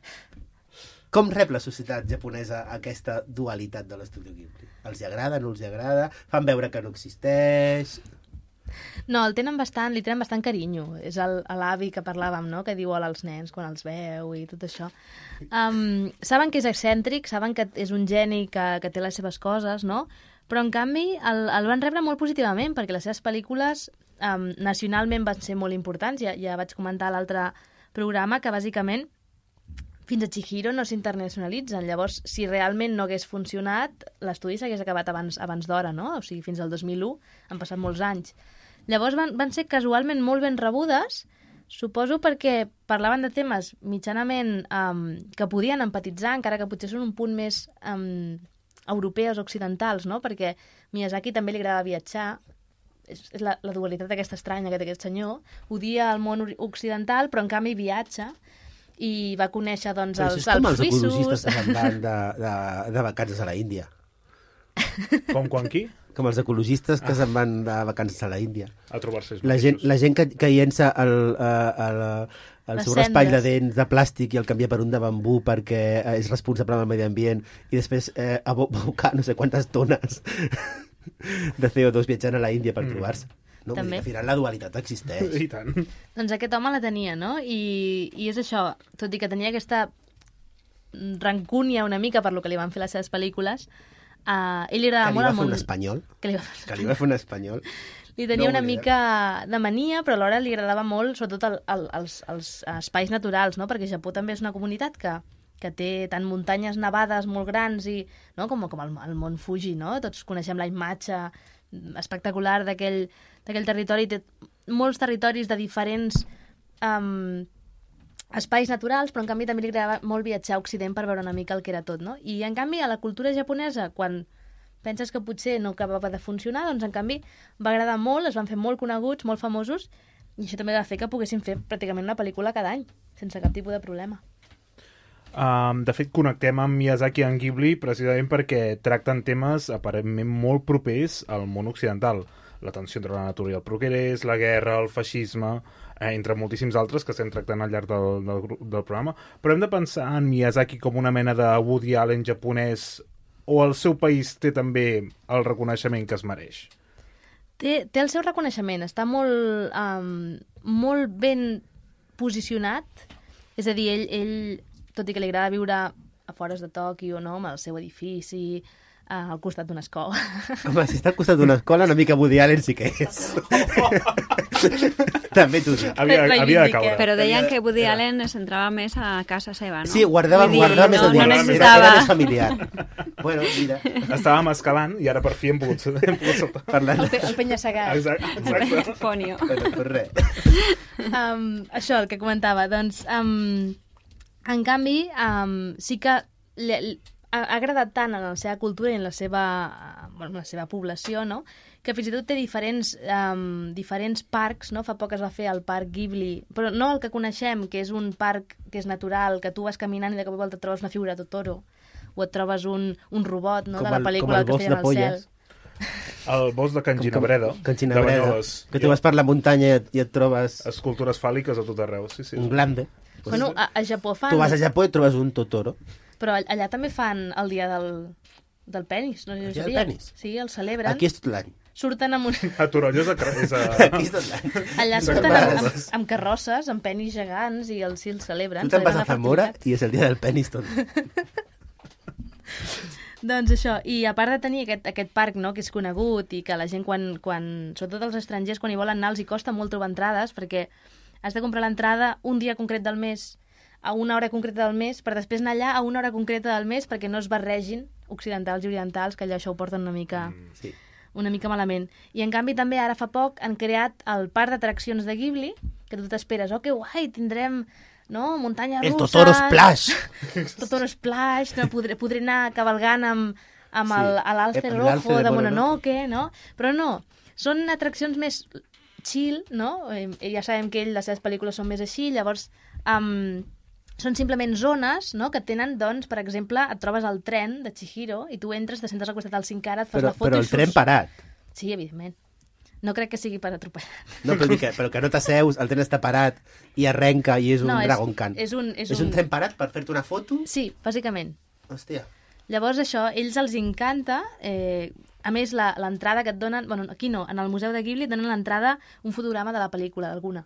com rep la societat japonesa aquesta dualitat de l'Estudio Ghibli? Els hi agrada, no els hi agrada? Fan veure que no existeix? No, el tenen bastant, li tenen bastant carinyo. És el- l'avi que parlàvem, no?, que diu hola als nens quan els veu i tot això. Um, saben que és excèntric, saben que és un geni que, que té les seves coses, no? Però, en canvi, el, el van rebre molt positivament, perquè les seves pel·lícules um, nacionalment van ser molt importants. Ja, ja vaig comentar a l'altre programa que, bàsicament, fins a Chihiro no s'internacionalitzen. Llavors, si realment no hagués funcionat, l'estudi s'hagués acabat abans, abans d'hora, no? O sigui, fins al dos mil u han passat molts anys. Llavors van, van ser casualment molt ben rebudes, suposo perquè parlaven de temes mitjanament um, que podien empatitzar, encara que potser són un punt més um, europeus, occidentals, no? Perquè Miyazaki també li agrada viatjar, és, és la, la dualitat aquesta estranya que té aquest senyor, odia el món ori- occidental, però en canvi viatja, i va conèixer doncs, Però això els és com Alps els ecologistes suïssos. que se'n van de, de, de vacances a la Índia. Com quan qui? Com els ecologistes que se'n van de vacances a la Índia. A trobar-se ells La gent, mateixos. la gent que, que llença el, uh, el, el Les seu raspall de cendres. dents de plàstic i el canvia per un de bambú perquè eh, és responsable del medi ambient i després eh, abo- abocar no sé quantes tones de C O dos viatjant a la Índia per mm. trobar-se. No? Vull També. dir que al final la dualitat existeix. I tant. Doncs aquest home la tenia, no? I, i és això, tot i que tenia aquesta rancúnia una mica per lo que li van fer les seves pel·lícules, uh, ell li agradava Que li molt va el fer món... un espanyol. Que li va, Que li va fer un espanyol. li tenia No una oblidem. mica de mania, però alhora li agradava molt, sobretot el, el, els, els espais naturals, no? Perquè Japó també és una comunitat que, que té tant muntanyes nevades molt grans i, no? com, com el, el mont Fuji, no? Tots coneixem la imatge espectacular d'aquell d'aquell territori. Té molts territoris de diferents um, espais naturals, però en canvi també li agradava molt viatjar a Occident per veure una mica el que era tot, no? I en canvi a la cultura japonesa, quan penses que potser no acabava de funcionar, doncs en canvi va agradar molt, es van fer molt coneguts, molt famosos, i això també va fer que poguessin fer pràcticament una pel·lícula cada any, sense cap tipus de problema. Um, de fet, connectem amb Miyazaki i en Ghibli precisament perquè tracten temes aparentment molt propers al món occidental. La tensió entre la natura i el progrés, la guerra, el feixisme, eh, entre moltíssims altres que estem tractant al llarg del, del, gru- del programa. Però hem de pensar en Miyazaki com una mena de Woody Allen japonès, o el seu país té també el reconeixement que es mereix? Té, té el seu reconeixement, està molt, um, molt ben posicionat, és a dir, ell, ell, tot i que li agrada viure a fores de Tòquio, no?, amb el seu edifici, uh, al costat d'una escola. Home, si està al costat d'una escola, una mica Woody Allen sí que és. També t'ho dic. Havia, havia de caure. Però deien que Woody Allen es centrava més a casa seva, no? Sí, guardava, Vull dir, guardava més no, el no dia. necessitava... Era, era més familiar. Bueno, mira, Estàvem escalant i ara per fi hem pogut, hem pogut saltar. parlant... El, pe el penya-segat. Exacte. exacte. Ponio. Bueno, pues res. um, això, el que comentava, doncs, um, en canvi, um, sí que li, li, ha ha agradat tant en la seva cultura i en la seva, uh, bueno, en la seva població, no?, que fins i tot té diferents, um, diferents parcs, no? Fa poc es va fer el parc Ghibli, però no el que coneixem, que és un parc que és natural, que tu vas caminant i de cop i volta trobes una figura de Totoro, o et trobes un, un robot, no?, Com de la el- pel·lícula com el El bosc castell de en el cel. polles. El bosc de Can Ginabreda. Can de Ginabreda, Banyoles. que tu vas per la muntanya i et, i et trobes Escultures fàl·liques a tot arreu, sí, sí. un glande. Bueno, a, a Japó fan... Tu vas a Japó i et trobes un Totoro. Però all- allà també fan el dia del, del penis, no sé si El ho dia del sabia. penis? Sí, el celebren. Aquí és tot l'any. Surten amb un... A Torolles és a... És a... Aquí és tot l'any. Allà Sí, surten clar. amb, amb, amb carrosses, amb penis gegants, i els, sí, els celebren. Tu te'n vas celebren a la Zamora fertilitat. i és el dia del penis tot. Doncs això, i a part de tenir aquest, aquest parc, no?, que és conegut i que la gent, quan, quan, sobretot els estrangers, quan hi volen anar, els hi costa molt trobar entrades, perquè has de comprar l'entrada un dia concret del mes, a una hora concreta del mes, per després anar allà a una hora concreta del mes perquè no es barregin occidentals i orientals, que allò això ho porten una mica, Sí. una mica malament. I en canvi també ara fa poc han creat el parc d'atraccions de Ghibli, que tu t'esperes, oh, que guai, tindrem, no, muntanya russa... El Totoro Splash! Totoro Splash, no? podré, podré anar cavalgant amb, amb Sí, el, a l'Alce amb l'Alce Rojo de de Mononoke. Mononoke, no? Però no, són atraccions més chill, no? Eh, ja sabem que ell, les seves pel·lícules són més així, llavors um, són simplement zones, no?, que tenen, doncs, per exemple, et trobes al tren de Chihiro i tu entres, te sentes al costat del cinc ara, et fas Però, la foto però i el tren surts. parat. Sí, evidentment. No crec que sigui per atropellar. No, però, dic que, però que no t'asseus, el tren està parat i arrenca i és un No, és- Dragon Khan. és un- és és un un- tren parat per fer-te una foto? Sí, bàsicament. Hòstia. Llavors això, ells els encanta, eh, a més la- l'entrada que et donen, bueno, aquí no, en el Museu de Ghibli et donen l'entrada un fotograma de la pel·lícula, d'alguna.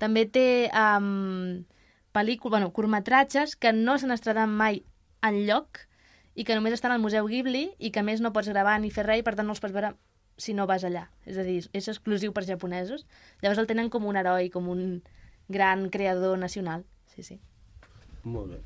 També té um, pel·lícula, bueno, curtmetratges que no s'han estrenat mai enlloc i que només estan al Museu Ghibli i que a més no pots gravar ni fer res i per tant no els pots veure si no vas allà. És a dir, és exclusiu per japonesos. Llavors el tenen com un heroi, com un gran creador nacional. Sí, sí. Molt bé.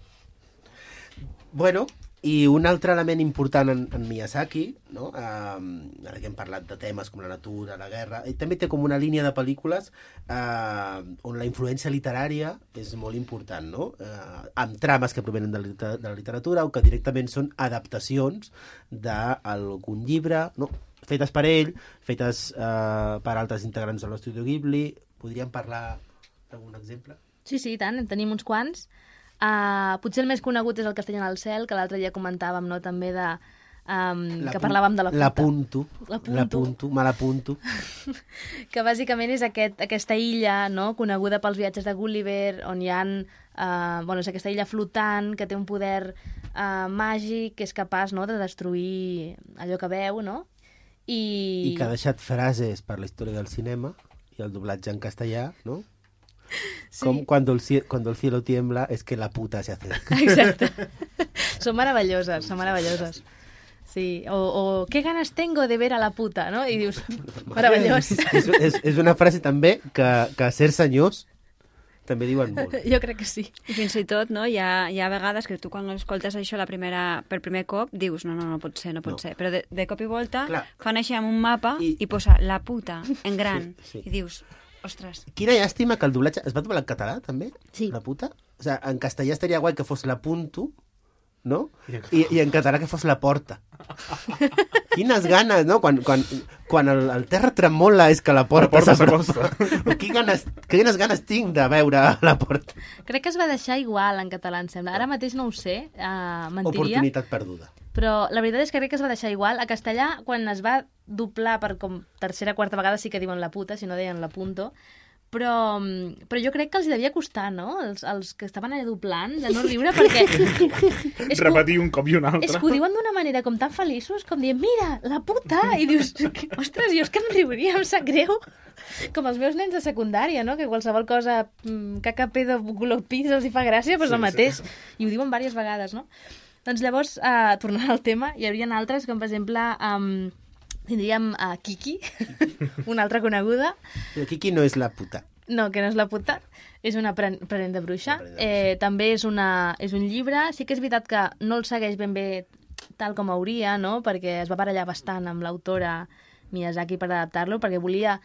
Bueno, i un altre element important en, en Miyazaki, no? Um, ara que hem parlat de temes com la natura, la guerra, i també té com una línia de pel·lícules uh, on la influència literària és molt important, no? Uh, amb trames que provenen de la, liter- de la literatura o que directament són adaptacions d'algun llibre, no? Fetes per ell, fetes uh, per altres integrants de l'Estudio Ghibli. Podríem parlar d'algun exemple? Sí, sí, i tant, en tenim uns quants. Uh, potser el més conegut és el Castell en el cel, que l'altre dia comentàvem, no?, també de... Um, que parlàvem de la puta. L'apunto, L'apunto. l'apunto, me l'apunto. Que bàsicament és aquest, aquesta illa, no?, coneguda pels viatges de Gulliver, on hi ha uh, bueno, és aquesta illa flotant que té un poder uh, màgic que és capaç, no?, de destruir allò que veu, no? I, I que ha deixat frases per la història del cinema i el doblatge en castellà, no? Sí. Com cuando el, cie- cuando el cielo tiembla es que la puta se acerca. Exacte. Són meravelloses, són meravelloses. Sí, o, o qué ganas tengo de ver a la puta, no? I dius, meravellós. és, és, és una frase també que, que certs senyors també diuen molt. Jo crec que sí. I fins i tot, no, hi ha, hi ha vegades que tu quan escoltes això la primera, per primer cop dius, no, no, no pot ser, no pot No. ser. Però de, de cop i volta Clar. fan així amb un mapa I- i, i posa la puta en gran. Sí, sí. I dius, ostres, Quina llàstima que el doblatge... Es va doblar en català, també? Sí. La puta? O sigui, en castellà estaria guai que fos la punto, no? I en I, I en català que fos la porta. Quines ganes, no? Quan, quan, quan el, el terra tremola és que la porta, porta s'apropa. Quines ganes, quines ganes tinc de veure la porta. Crec que es va deixar igual en català, em sembla. Ara mateix no ho sé, uh, mentiria. Oportunitat perduda. Però la veritat és que crec que es va deixar igual. A castellà, quan es va doblar per com tercera, quarta vegada, sí que diuen la puta, si no deien la punto. Però, mm, però jo crec que els hi devia costar, no?, els, els que estaven allà doblant, de no riure, perquè... és que, Repetir un cop i un altre. és que ho diuen d'una manera com tan feliços, com dient, mira, la puta! I dius, ostres, jo és que em riuria, em sap greu. Com els meus nens de secundària, no?, que qualsevol cosa, mm, caca, pedo, color pis, els hi fa gràcia, doncs Sí, el mateix. I ho diuen diverses vegades, no? Doncs llavors, uh, tornant al tema, hi haurien altres, com per exemple... Um, tindríem uh, Kiki, una altra coneguda. Però Kiki no és la puta. No, que no és la puta, és una apren- aprenent de bruixa. Aprenent de Eh, també és, una, és un llibre. Sí que és veritat que no el segueix ben bé tal com hauria, no?, perquè es va barallar bastant amb l'autora Miyazaki per adaptar-lo, perquè volia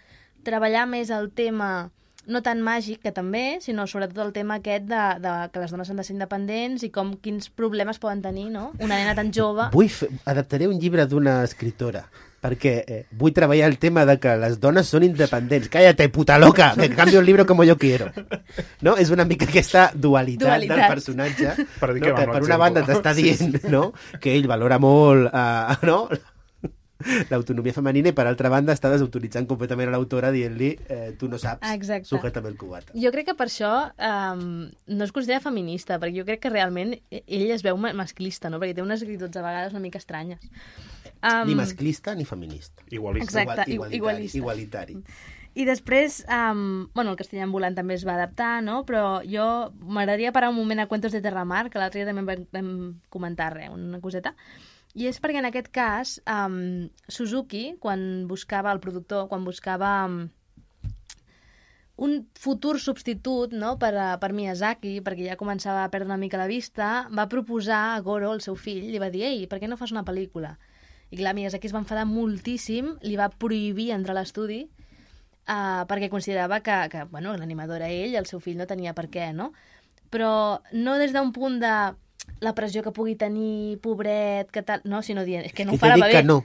treballar més el tema, no tant màgic, que també, sinó sobretot el tema aquest de, de que les dones han de ser independents i com quins problemes poden tenir, no?, una nena tan jove. Vull fer... Adaptaré un llibre d'una escritora perquè eh, vull treballar el tema de que les dones són independents. Cállate, puta loca, que cambio el libro como yo quiero. No? És una mica aquesta dualitat, dualitat. del personatge, per, no? que per una banda t'està dient no? que ell valora molt uh, no? l'autonomia femenina i per altra banda està desautoritzant completament a l'autora dient-li eh, tu no saps, Exacte. sujétame el cubata. Jo crec que per això um, no es considera feminista, perquè jo crec que realment ell es veu masclista, no? Perquè té unes actituds a vegades una mica estranyes. Um, ni masclista ni feminista. Igualista. Exacte, Igual, igualitari, igualista. igualitari. I després, um, bueno, el castellà ambulant també es va adaptar, no? Però jo m'agradaria parar un moment a Cuentos de Terramar, que l'altre dia també vam, vam comentar res, una coseta. I és perquè en aquest cas um, Suzuki, quan buscava el productor, quan buscava um, un futur substitut no, per, a, per Miyazaki, perquè ja començava a perdre una mica la vista, va proposar a Goro, el seu fill, li va dir, ei, per què no fas una pel·lícula? I clar, Miyazaki es va enfadar moltíssim, li va prohibir entrar a l'estudi uh, perquè considerava que, que bueno, l'animador era ell, el seu fill no tenia per què, no? Però no des d'un punt de la pressió que pugui tenir, pobret, que tal... No, sinó dient, és que no que ho farà bé. Que no.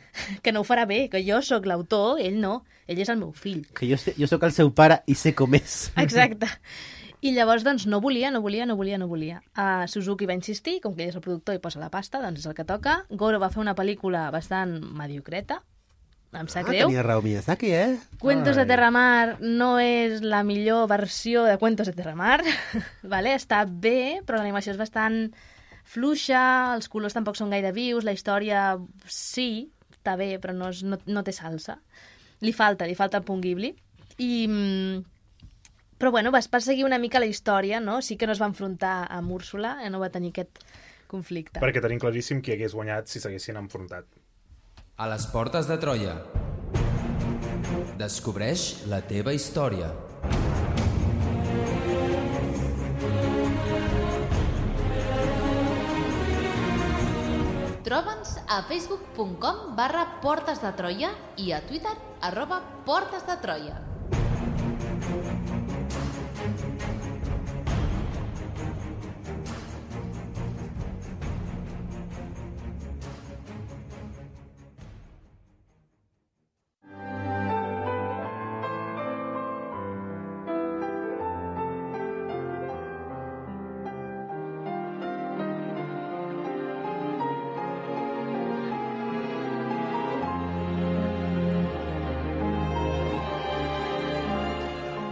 que no ho farà bé, que jo sóc l'autor, ell no, ell és el meu fill. Que jo, sé, jo sóc el seu pare i sé com és. Exacte. I llavors, doncs, no volia, no volia, no volia, no volia. Uh, Suzuki va insistir, com que ell és el productor i posa la pasta, doncs és el que toca. Goro va fer una pel·lícula bastant mediocreta, em sap ah, greu. Tenia raó Miyazaki, eh? Cuentos Ai. de Terramar no és la millor versió de Cuentos de Terramar, vale? Està bé, però l'animació és bastant fluixa, els colors tampoc són gaire vius, la història sí, està bé, però no, és, no, no té salsa. Li falta, li falta el punt Ghibli. I, però bueno, va, va seguir una mica la història, no? Sí que no es va enfrontar amb Úrsula, eh? No va tenir aquest conflicte. Perquè tenim claríssim qui hagués guanyat si s'haguessin enfrontat. A les portes de Troia. Descobreix la teva història. Troba'ns a facebook punt com barra Portes de Troia i a Twitter arroba Portes de Troia.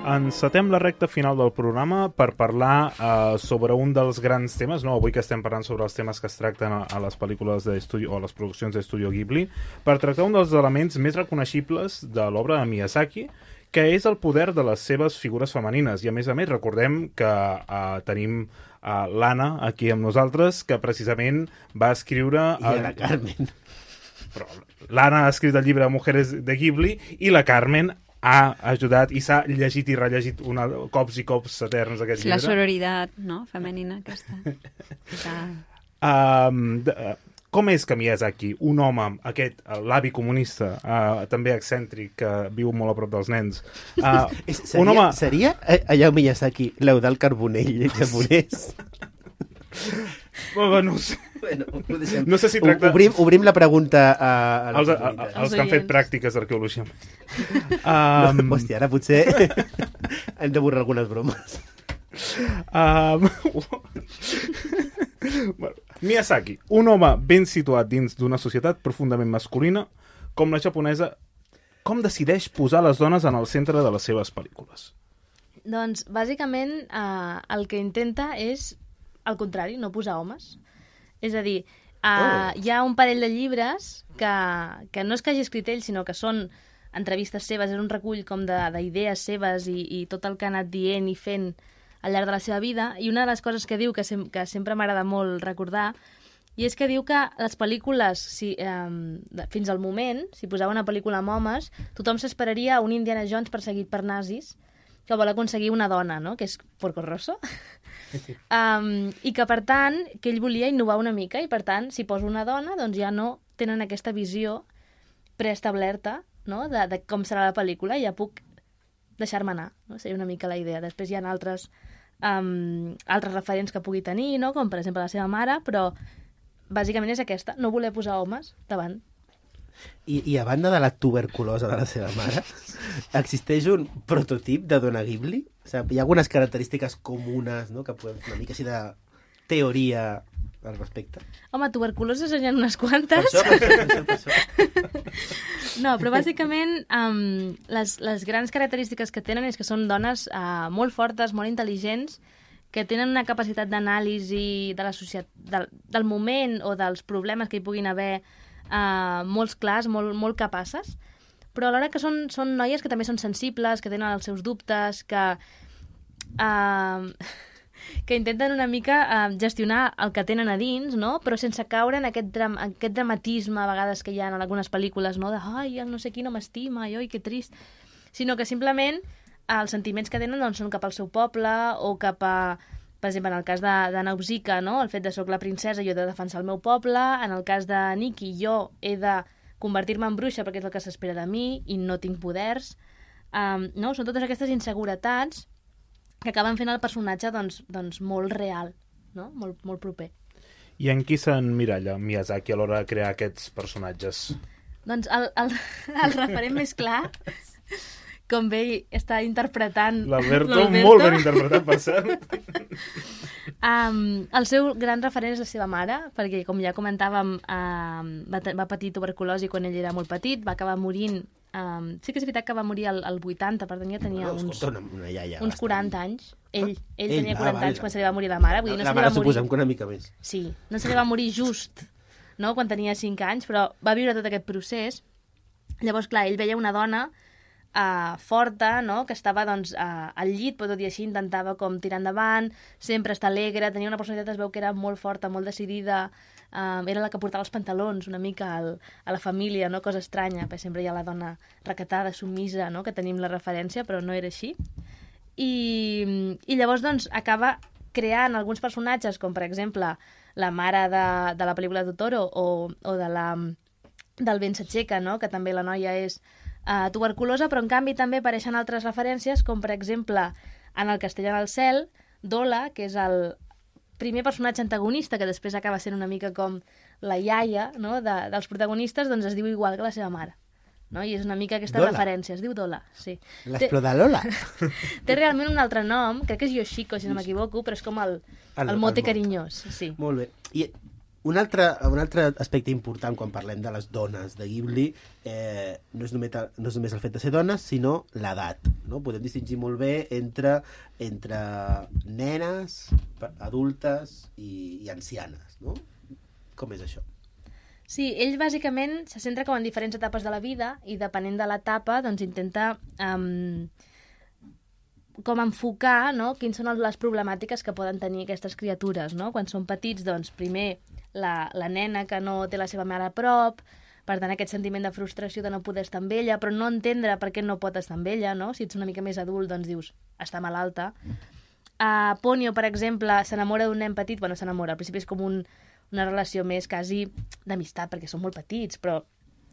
Encetem la recta final del programa per parlar uh, sobre un dels grans temes, no? Avui que estem parlant sobre els temes que es tracten a, a les pel·lícules d'estudi o a les produccions d'Estudio Ghibli, per tractar un dels elements més reconeixibles de l'obra de Miyazaki, que és el poder de les seves figures femenines. I a més a més recordem que uh, tenim uh, l'Anna aquí amb nosaltres, que precisament va escriure... I el... la Carmen. Però l'Anna ha escrit el llibre Mujeres de Ghibli i la Carmen ha ajudat i s'ha llegit i rellegit una, cops i cops eterns aquest llibre. La sororitat, no?, femenina aquesta. Que... Um, de, uh, com és que Miyazaki, un home, aquest, l'avi comunista, uh, també excèntric, que viu molt a prop dels nens, uh, seria, un home... Seria allò Miyazaki, l'Eudald Carbonell japonès? Bueno, no sé. Bueno, no sé si tracta... Obrim, obrim la pregunta a, a els, a, a, els que han fet pràctiques d'arqueologia. Um... No, hòstia, ara potser hem de borrar algunes bromes. Um... bueno, Miyazaki, un home ben situat dins d'una societat profundament masculina com la japonesa, com decideix posar les dones en el centre de les seves pel·lícules? Doncs, bàsicament, eh, el que intenta és al contrari, no posar homes. És a dir, uh, oh. hi ha un parell de llibres que, que no és que hagi escrit ell, sinó que són entrevistes seves, és un recull com d'idees seves i, i tot el que ha anat dient i fent al llarg de la seva vida. I una de les coses que diu, que, sem que sempre m'agrada molt recordar, i és que diu que les pel·lícules, si, eh, fins al moment, si posava una pel·lícula amb homes, tothom s'esperaria un Indiana Jones perseguit per nazis que vol aconseguir una dona, no?, que és Porco Rosso. Um, I que, per tant, que ell volia innovar una mica i, per tant, si poso una dona, doncs ja no tenen aquesta visió preestablerta, no?, de, de com serà la pel·lícula, i ja puc deixar-me anar, no? Seria una mica la idea. Després hi ha altres, um, altres referents que pugui tenir, no?, com per exemple la seva mare, però bàsicament és aquesta, no voler posar homes davant. I, I a banda de la tuberculosa de la seva mare, existeix un prototip de dona Ghibli? O sigui, hi ha algunes característiques comunes, no?, que podem fer una mica així de teoria al respecte. Home, tuberculoses n'hi ha unes quantes. Per això, per això, per això. No, però bàsicament um, les, les grans característiques que tenen és que són dones uh, molt fortes, molt intel·ligents, que tenen una capacitat d'anàlisi de la societat, del, del moment o dels problemes que hi puguin haver uh, molts clars, molt, molt capaces, però alhora que són, són noies que també són sensibles, que tenen els seus dubtes, que... Uh, que intenten una mica uh, gestionar el que tenen a dins, no? Però sense caure en aquest, dram aquest dramatisme a vegades que hi ha en algunes pel·lícules, no? De, ai, el no sé qui no m'estima, ai, que trist. Sinó que simplement uh, els sentiments que tenen doncs, són cap al seu poble o cap a, per exemple, en el cas de, de Nausicaa, no? El fet de soc la princesa, jo he de defensar el meu poble. En el cas de Nikki, jo he de convertir-me en bruixa perquè és el que s'espera de mi i no tinc poders. Um, no? Són totes aquestes inseguretats que acaben fent el personatge doncs, doncs molt real, no? Molt, molt proper. I en qui s'emmiralla Miyazaki a l'hora de crear aquests personatges? Doncs el, el, el referent més clar, com bé està interpretant l'Alberto, molt ben interpretat, per cert. Um, el seu gran referent és la seva mare, perquè, com ja comentàvem, um, va, va patir tuberculosi quan ell era molt petit, va acabar morint. Um, sí que és veritat que va morir al, al vuitanta, per tant ja tenia no, uns, una, una iaia uns bastant... quaranta anys. Ell, ell, ell tenia ah, quaranta vale. anys quan se li va morir la mare. Vull dir, no la se li mare va morir... suposem que una mica més. Sí, no se li va morir just, no?, quan tenia cinc anys, però va viure tot aquest procés. Llavors, clar, ell veia una dona uh, forta, no?, que estava doncs, uh, al llit, però tot i així intentava com tirar endavant, sempre estar alegre, tenia una personalitat, es veu que era molt forta, molt decidida. Um, era la que portava els pantalons una mica al, a la família, no? Cosa estranya, perquè sempre hi ha la dona recatada, submisa, no? Que tenim la referència, però no era així. I, i llavors doncs, acaba creant alguns personatges, com per exemple la mare de, de la pel·lícula de Totoro o, o de la, del vent s'aixeca, no? Que també la noia és uh, tuberculosa, però en canvi també apareixen altres referències, com per exemple en el Castellà del cel, Dola, que és el primer personatge antagonista, que després acaba sent una mica com la iaia, no?, de, dels protagonistes, doncs es diu igual que la seva mare. No? I és una mica aquesta Dola. referència. Es diu Dola, sí. L'Explodalola. Té realment un altre nom, crec que és Yoshiko, si no m'equivoco, però és com el, el, el mote el carinyós. Sí. Molt bé. I un altre, un altre aspecte important quan parlem de les dones de Ghibli eh, no, és només, no és només el fet de ser dones, sinó l'edat. No? Podem distingir molt bé entre, entre nenes, adultes i, i ancianes. No? Com és això? Sí, ell bàsicament se centra com en diferents etapes de la vida i depenent de l'etapa doncs intenta um, com enfocar, no?, quins són les problemàtiques que poden tenir aquestes criatures, no? Quan són petits, doncs primer la, la nena que no té la seva mare a prop, per tant aquest sentiment de frustració de no poder estar amb ella, però no entendre per què no pot estar amb ella, no? Si ets una mica més adult, doncs dius, està malalta. Uh, Ponyo, per exemple, s'enamora d'un nen petit, bueno, s'enamora, al principi és com un una relació més quasi d'amistat, perquè són molt petits, però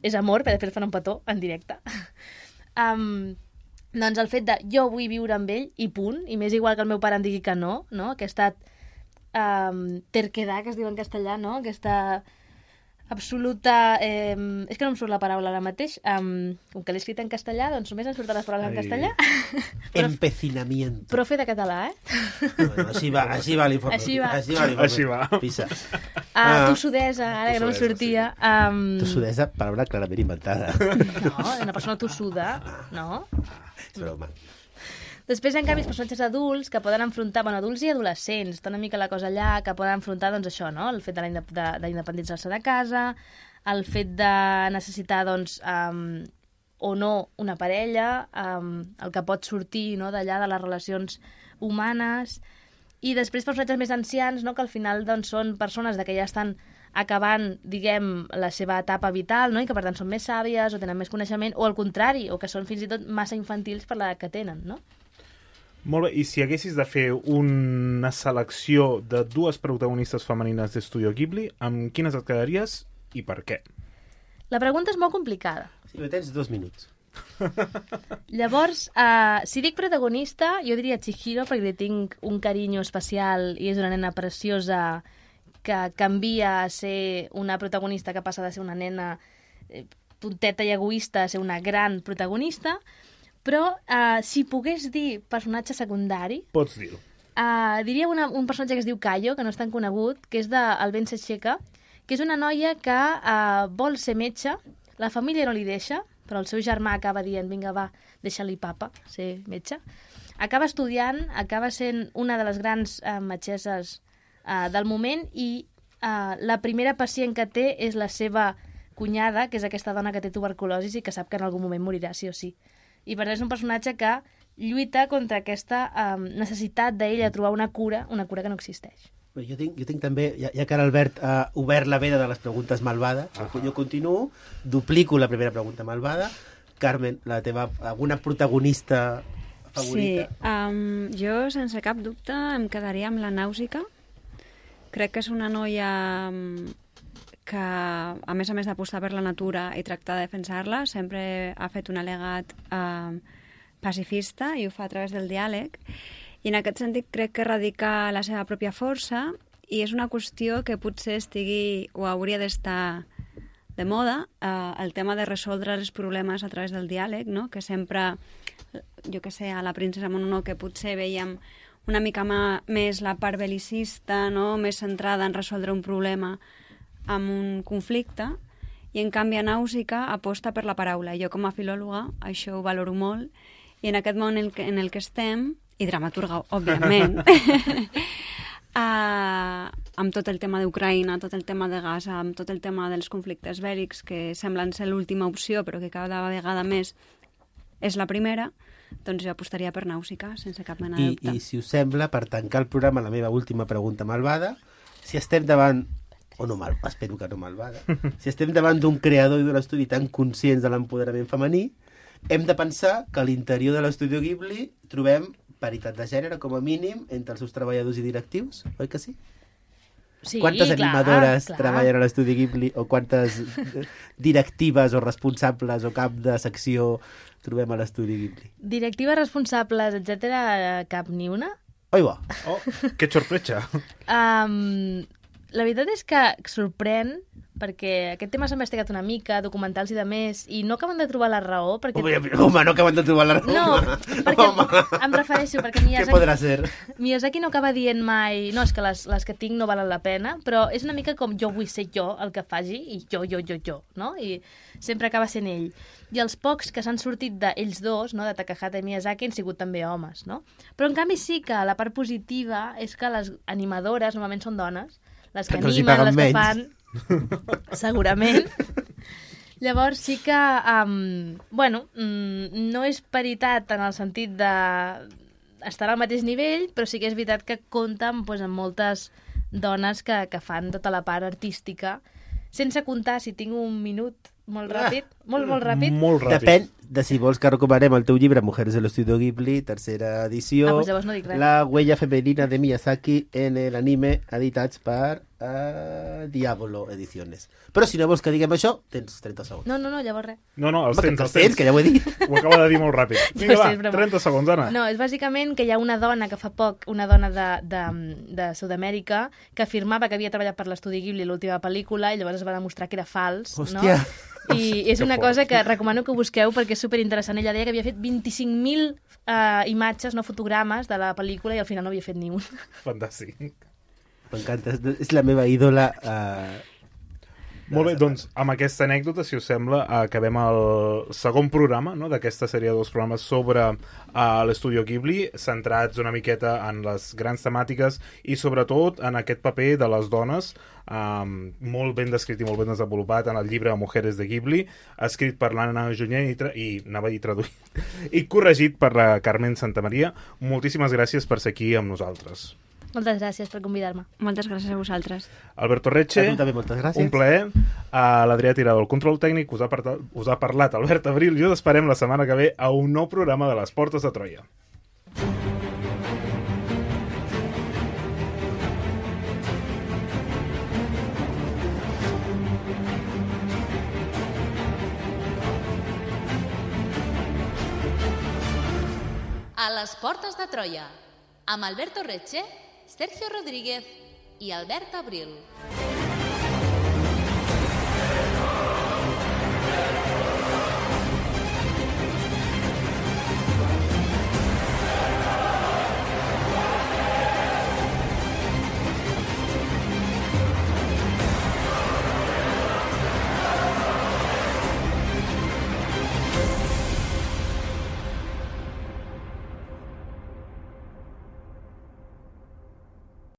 és amor, perquè després fan un petó en directe. um, doncs el fet de jo vull viure amb ell i punt, i m'és igual que el meu pare em digui que no, no? Aquesta um, terquedad, que es diu en castellà, no? Aquesta absoluta... Eh, és que no em surt la paraula ara mateix. Um, com que l'he escrit en castellà, doncs només em surten les paraules en castellà. Empecinamiento. Profe de català, eh? No, no, així va, així va l'informe. Així va. Així va l'informe. Així va. Pisa. Uh, tossudesa, ara que no em sortia. Sí. Um... Tossudesa, paraula clarament inventada. No, una persona tossuda, no? És broma. Després, en canvi, els personatges adults que poden enfrontar, bueno, adults i adolescents, està una mica la cosa allà, que poden enfrontar, doncs, això, no?, el fet de la indep de, de independitzar-se de casa, el fet de necessitar, doncs, um, o no una parella, um, el que pot sortir, no?, d'allà de les relacions humanes, i després personatges més ancians, no?, que al final, doncs, són persones de que ja estan acabant, diguem, la seva etapa vital, no?, i que, per tant, són més sàvies o tenen més coneixement, o al contrari, o que són fins i tot massa infantils per l'edat que tenen, no? Molt bé, i si haguessis de fer una selecció de dues protagonistes femenines d'Estudio Ghibli, amb quines et quedaries i per què? La pregunta és molt complicada. Sí, però tens dos minuts. Llavors, uh, si dic protagonista, jo diria Chihiro, perquè li tinc un carinyo especial i és una nena preciosa que canvia a ser una protagonista que passa de ser una nena... Eh, tonteta i egoista a ser una gran protagonista, però uh, si pogués dir personatge secundari... Pots dir-ho. Uh, diria una, un personatge que es diu Cayo, que no és tan conegut, que és de El vent s'aixeca, que és una noia que uh, vol ser metge, la família no li deixa, però el seu germà acaba dient, vinga, va, deixa-li papa, ser metge. Acaba estudiant, acaba sent una de les grans uh, metgesses uh, del moment i uh, la primera pacient que té és la seva cunyada, que és aquesta dona que té tuberculosi i que sap que en algun moment morirà, sí o sí. I per tant és un personatge que lluita contra aquesta um, necessitat d'ell de trobar una cura, una cura que no existeix. Jo tinc, jo tinc també, ja, ja que l'Albert ha obert la veda de les preguntes malvades, uh -huh. jo continuo, duplico la primera pregunta malvada. Carmen, la teva, alguna protagonista favorita? Sí, um, jo sense cap dubte em quedaria amb la Nàusica. Crec que és una noia que, a més a més d'apostar per la natura i tractar de defensar-la, sempre ha fet un al·legat uh, pacifista i ho fa a través del diàleg. I en aquest sentit crec que radica la seva pròpia força i és una qüestió que potser estigui o hauria d'estar de moda, eh, el tema de resoldre els problemes a través del diàleg, no? Que sempre, jo que sé, a la princesa Mononoke potser veiem una mica ma, més la part bel·licista, no? Més centrada en resoldre un problema amb un conflicte, i en canvi a Nàusica aposta per la paraula. Jo com a filòloga això ho valoro molt, i en aquest món en el que, en el que estem, i dramaturga, òbviament, uh, amb tot el tema d'Ucraïna, tot el tema de Gaza, amb tot el tema dels conflictes bèl·lics, que semblen ser l'última opció, però que cada vegada més és la primera, doncs jo apostaria per Nàusica, sense cap mena de dubte. I, I si us sembla, per tancar el programa, la meva última pregunta malvada, si estem davant, o no mal, espero que no malvada, si estem davant d'un creador i d'un estudi tan conscients de l'empoderament femení, hem de pensar que a l'interior de l'estudi Ghibli trobem paritat de gènere, com a mínim, entre els seus treballadors i directius, oi que sí? Sí, quantes clar, animadores clar. treballen a l'estudi Ghibli o quantes directives o responsables o cap de secció trobem a l'estudi Ghibli? Directives, responsables, etcètera, cap ni una. Oi, va. Oh, que sorpresa. Um, la veritat és que sorprèn, perquè aquest tema s'ha investigat una mica, documentals i de més, i no acaben de trobar la raó. Perquè... Home, home, no acaben de trobar la raó. No, perquè home. Em refereixo, perquè Miyazaki... Què podrà ser? Miyazaki no acaba dient mai, no, és que les, les que tinc no valen la pena, però és una mica com jo vull ser jo el que faci, i jo, jo, jo, jo, no? I sempre acaba sent ell. I els pocs que s'han sortit d'ells dos, no, de Takahata i Miyazaki, han sigut també homes, no? Però en canvi sí que la part positiva és que les animadores normalment són dones, les que animen, les que fan... Segurament. Llavors sí que um, bueno, mm, no és paritat en el sentit de estar al mateix nivell, però sí que és veritat que compten pues, amb moltes dones que, que fan tota la part artística, sense comptar, si tinc un minut molt ràpid, ah, molt, molt ràpid. Molt ràpid. Depèn de si vols que recomanem el teu llibre Mujeres de l'Estudio Ghibli, tercera edició, ah, pues llavors no dic res. La huella femenina de Miyazaki en l'anime, editats per uh, Diablo Ediciones. Però si no vols que diguem això, tens trenta segons. No, no, no, llavors res. No, no, els Home, tens, que els tens. que ja ho he dit. Ho acaba de dir molt ràpid. Vinga, Sí, va, trenta segons, Anna. No, és bàsicament que hi ha una dona que fa poc, una dona de, de, de Sud-amèrica, que afirmava que havia treballat per l'estudi Ghibli l'última pel·lícula i llavors es va demostrar que era fals. Hòstia. No? I és una cosa que recomano que busqueu perquè és superinteressant. Ella deia que havia fet vint-i-cinc mil uh, imatges, no fotogrames, de la pel·lícula i al final no havia fet ni un. Fantàstic. M'encanta, és la meva ídola. Uh, Molt bé, doncs amb aquesta anècdota, si us sembla, acabem el segon programa, no?, d'aquesta sèrie de dos programes sobre uh, l'Estudio Ghibli, centrats una miqueta en les grans temàtiques i sobretot en aquest paper de les dones, um, molt ben descrit i molt ben desenvolupat en el llibre Mujeres de Ghibli, escrit per l'Anna Junyent i, tra i anava a dir traduït, i corregit per la Carmen Santamaria. Moltíssimes gràcies per ser aquí amb nosaltres. Moltes gràcies per convidar-me. Moltes gràcies a vosaltres. Alberto Reche, a tu també moltes gràcies. Un plaer. A l'Adrià Tirado, el control tècnic, us ha, us ha parlat Albert Abril. Jo t'esperem la setmana que ve a un nou programa de les Portes de Troia. A les Portes de Troia, amb Alberto Reche, Sergio Rodríguez i Albert Abril.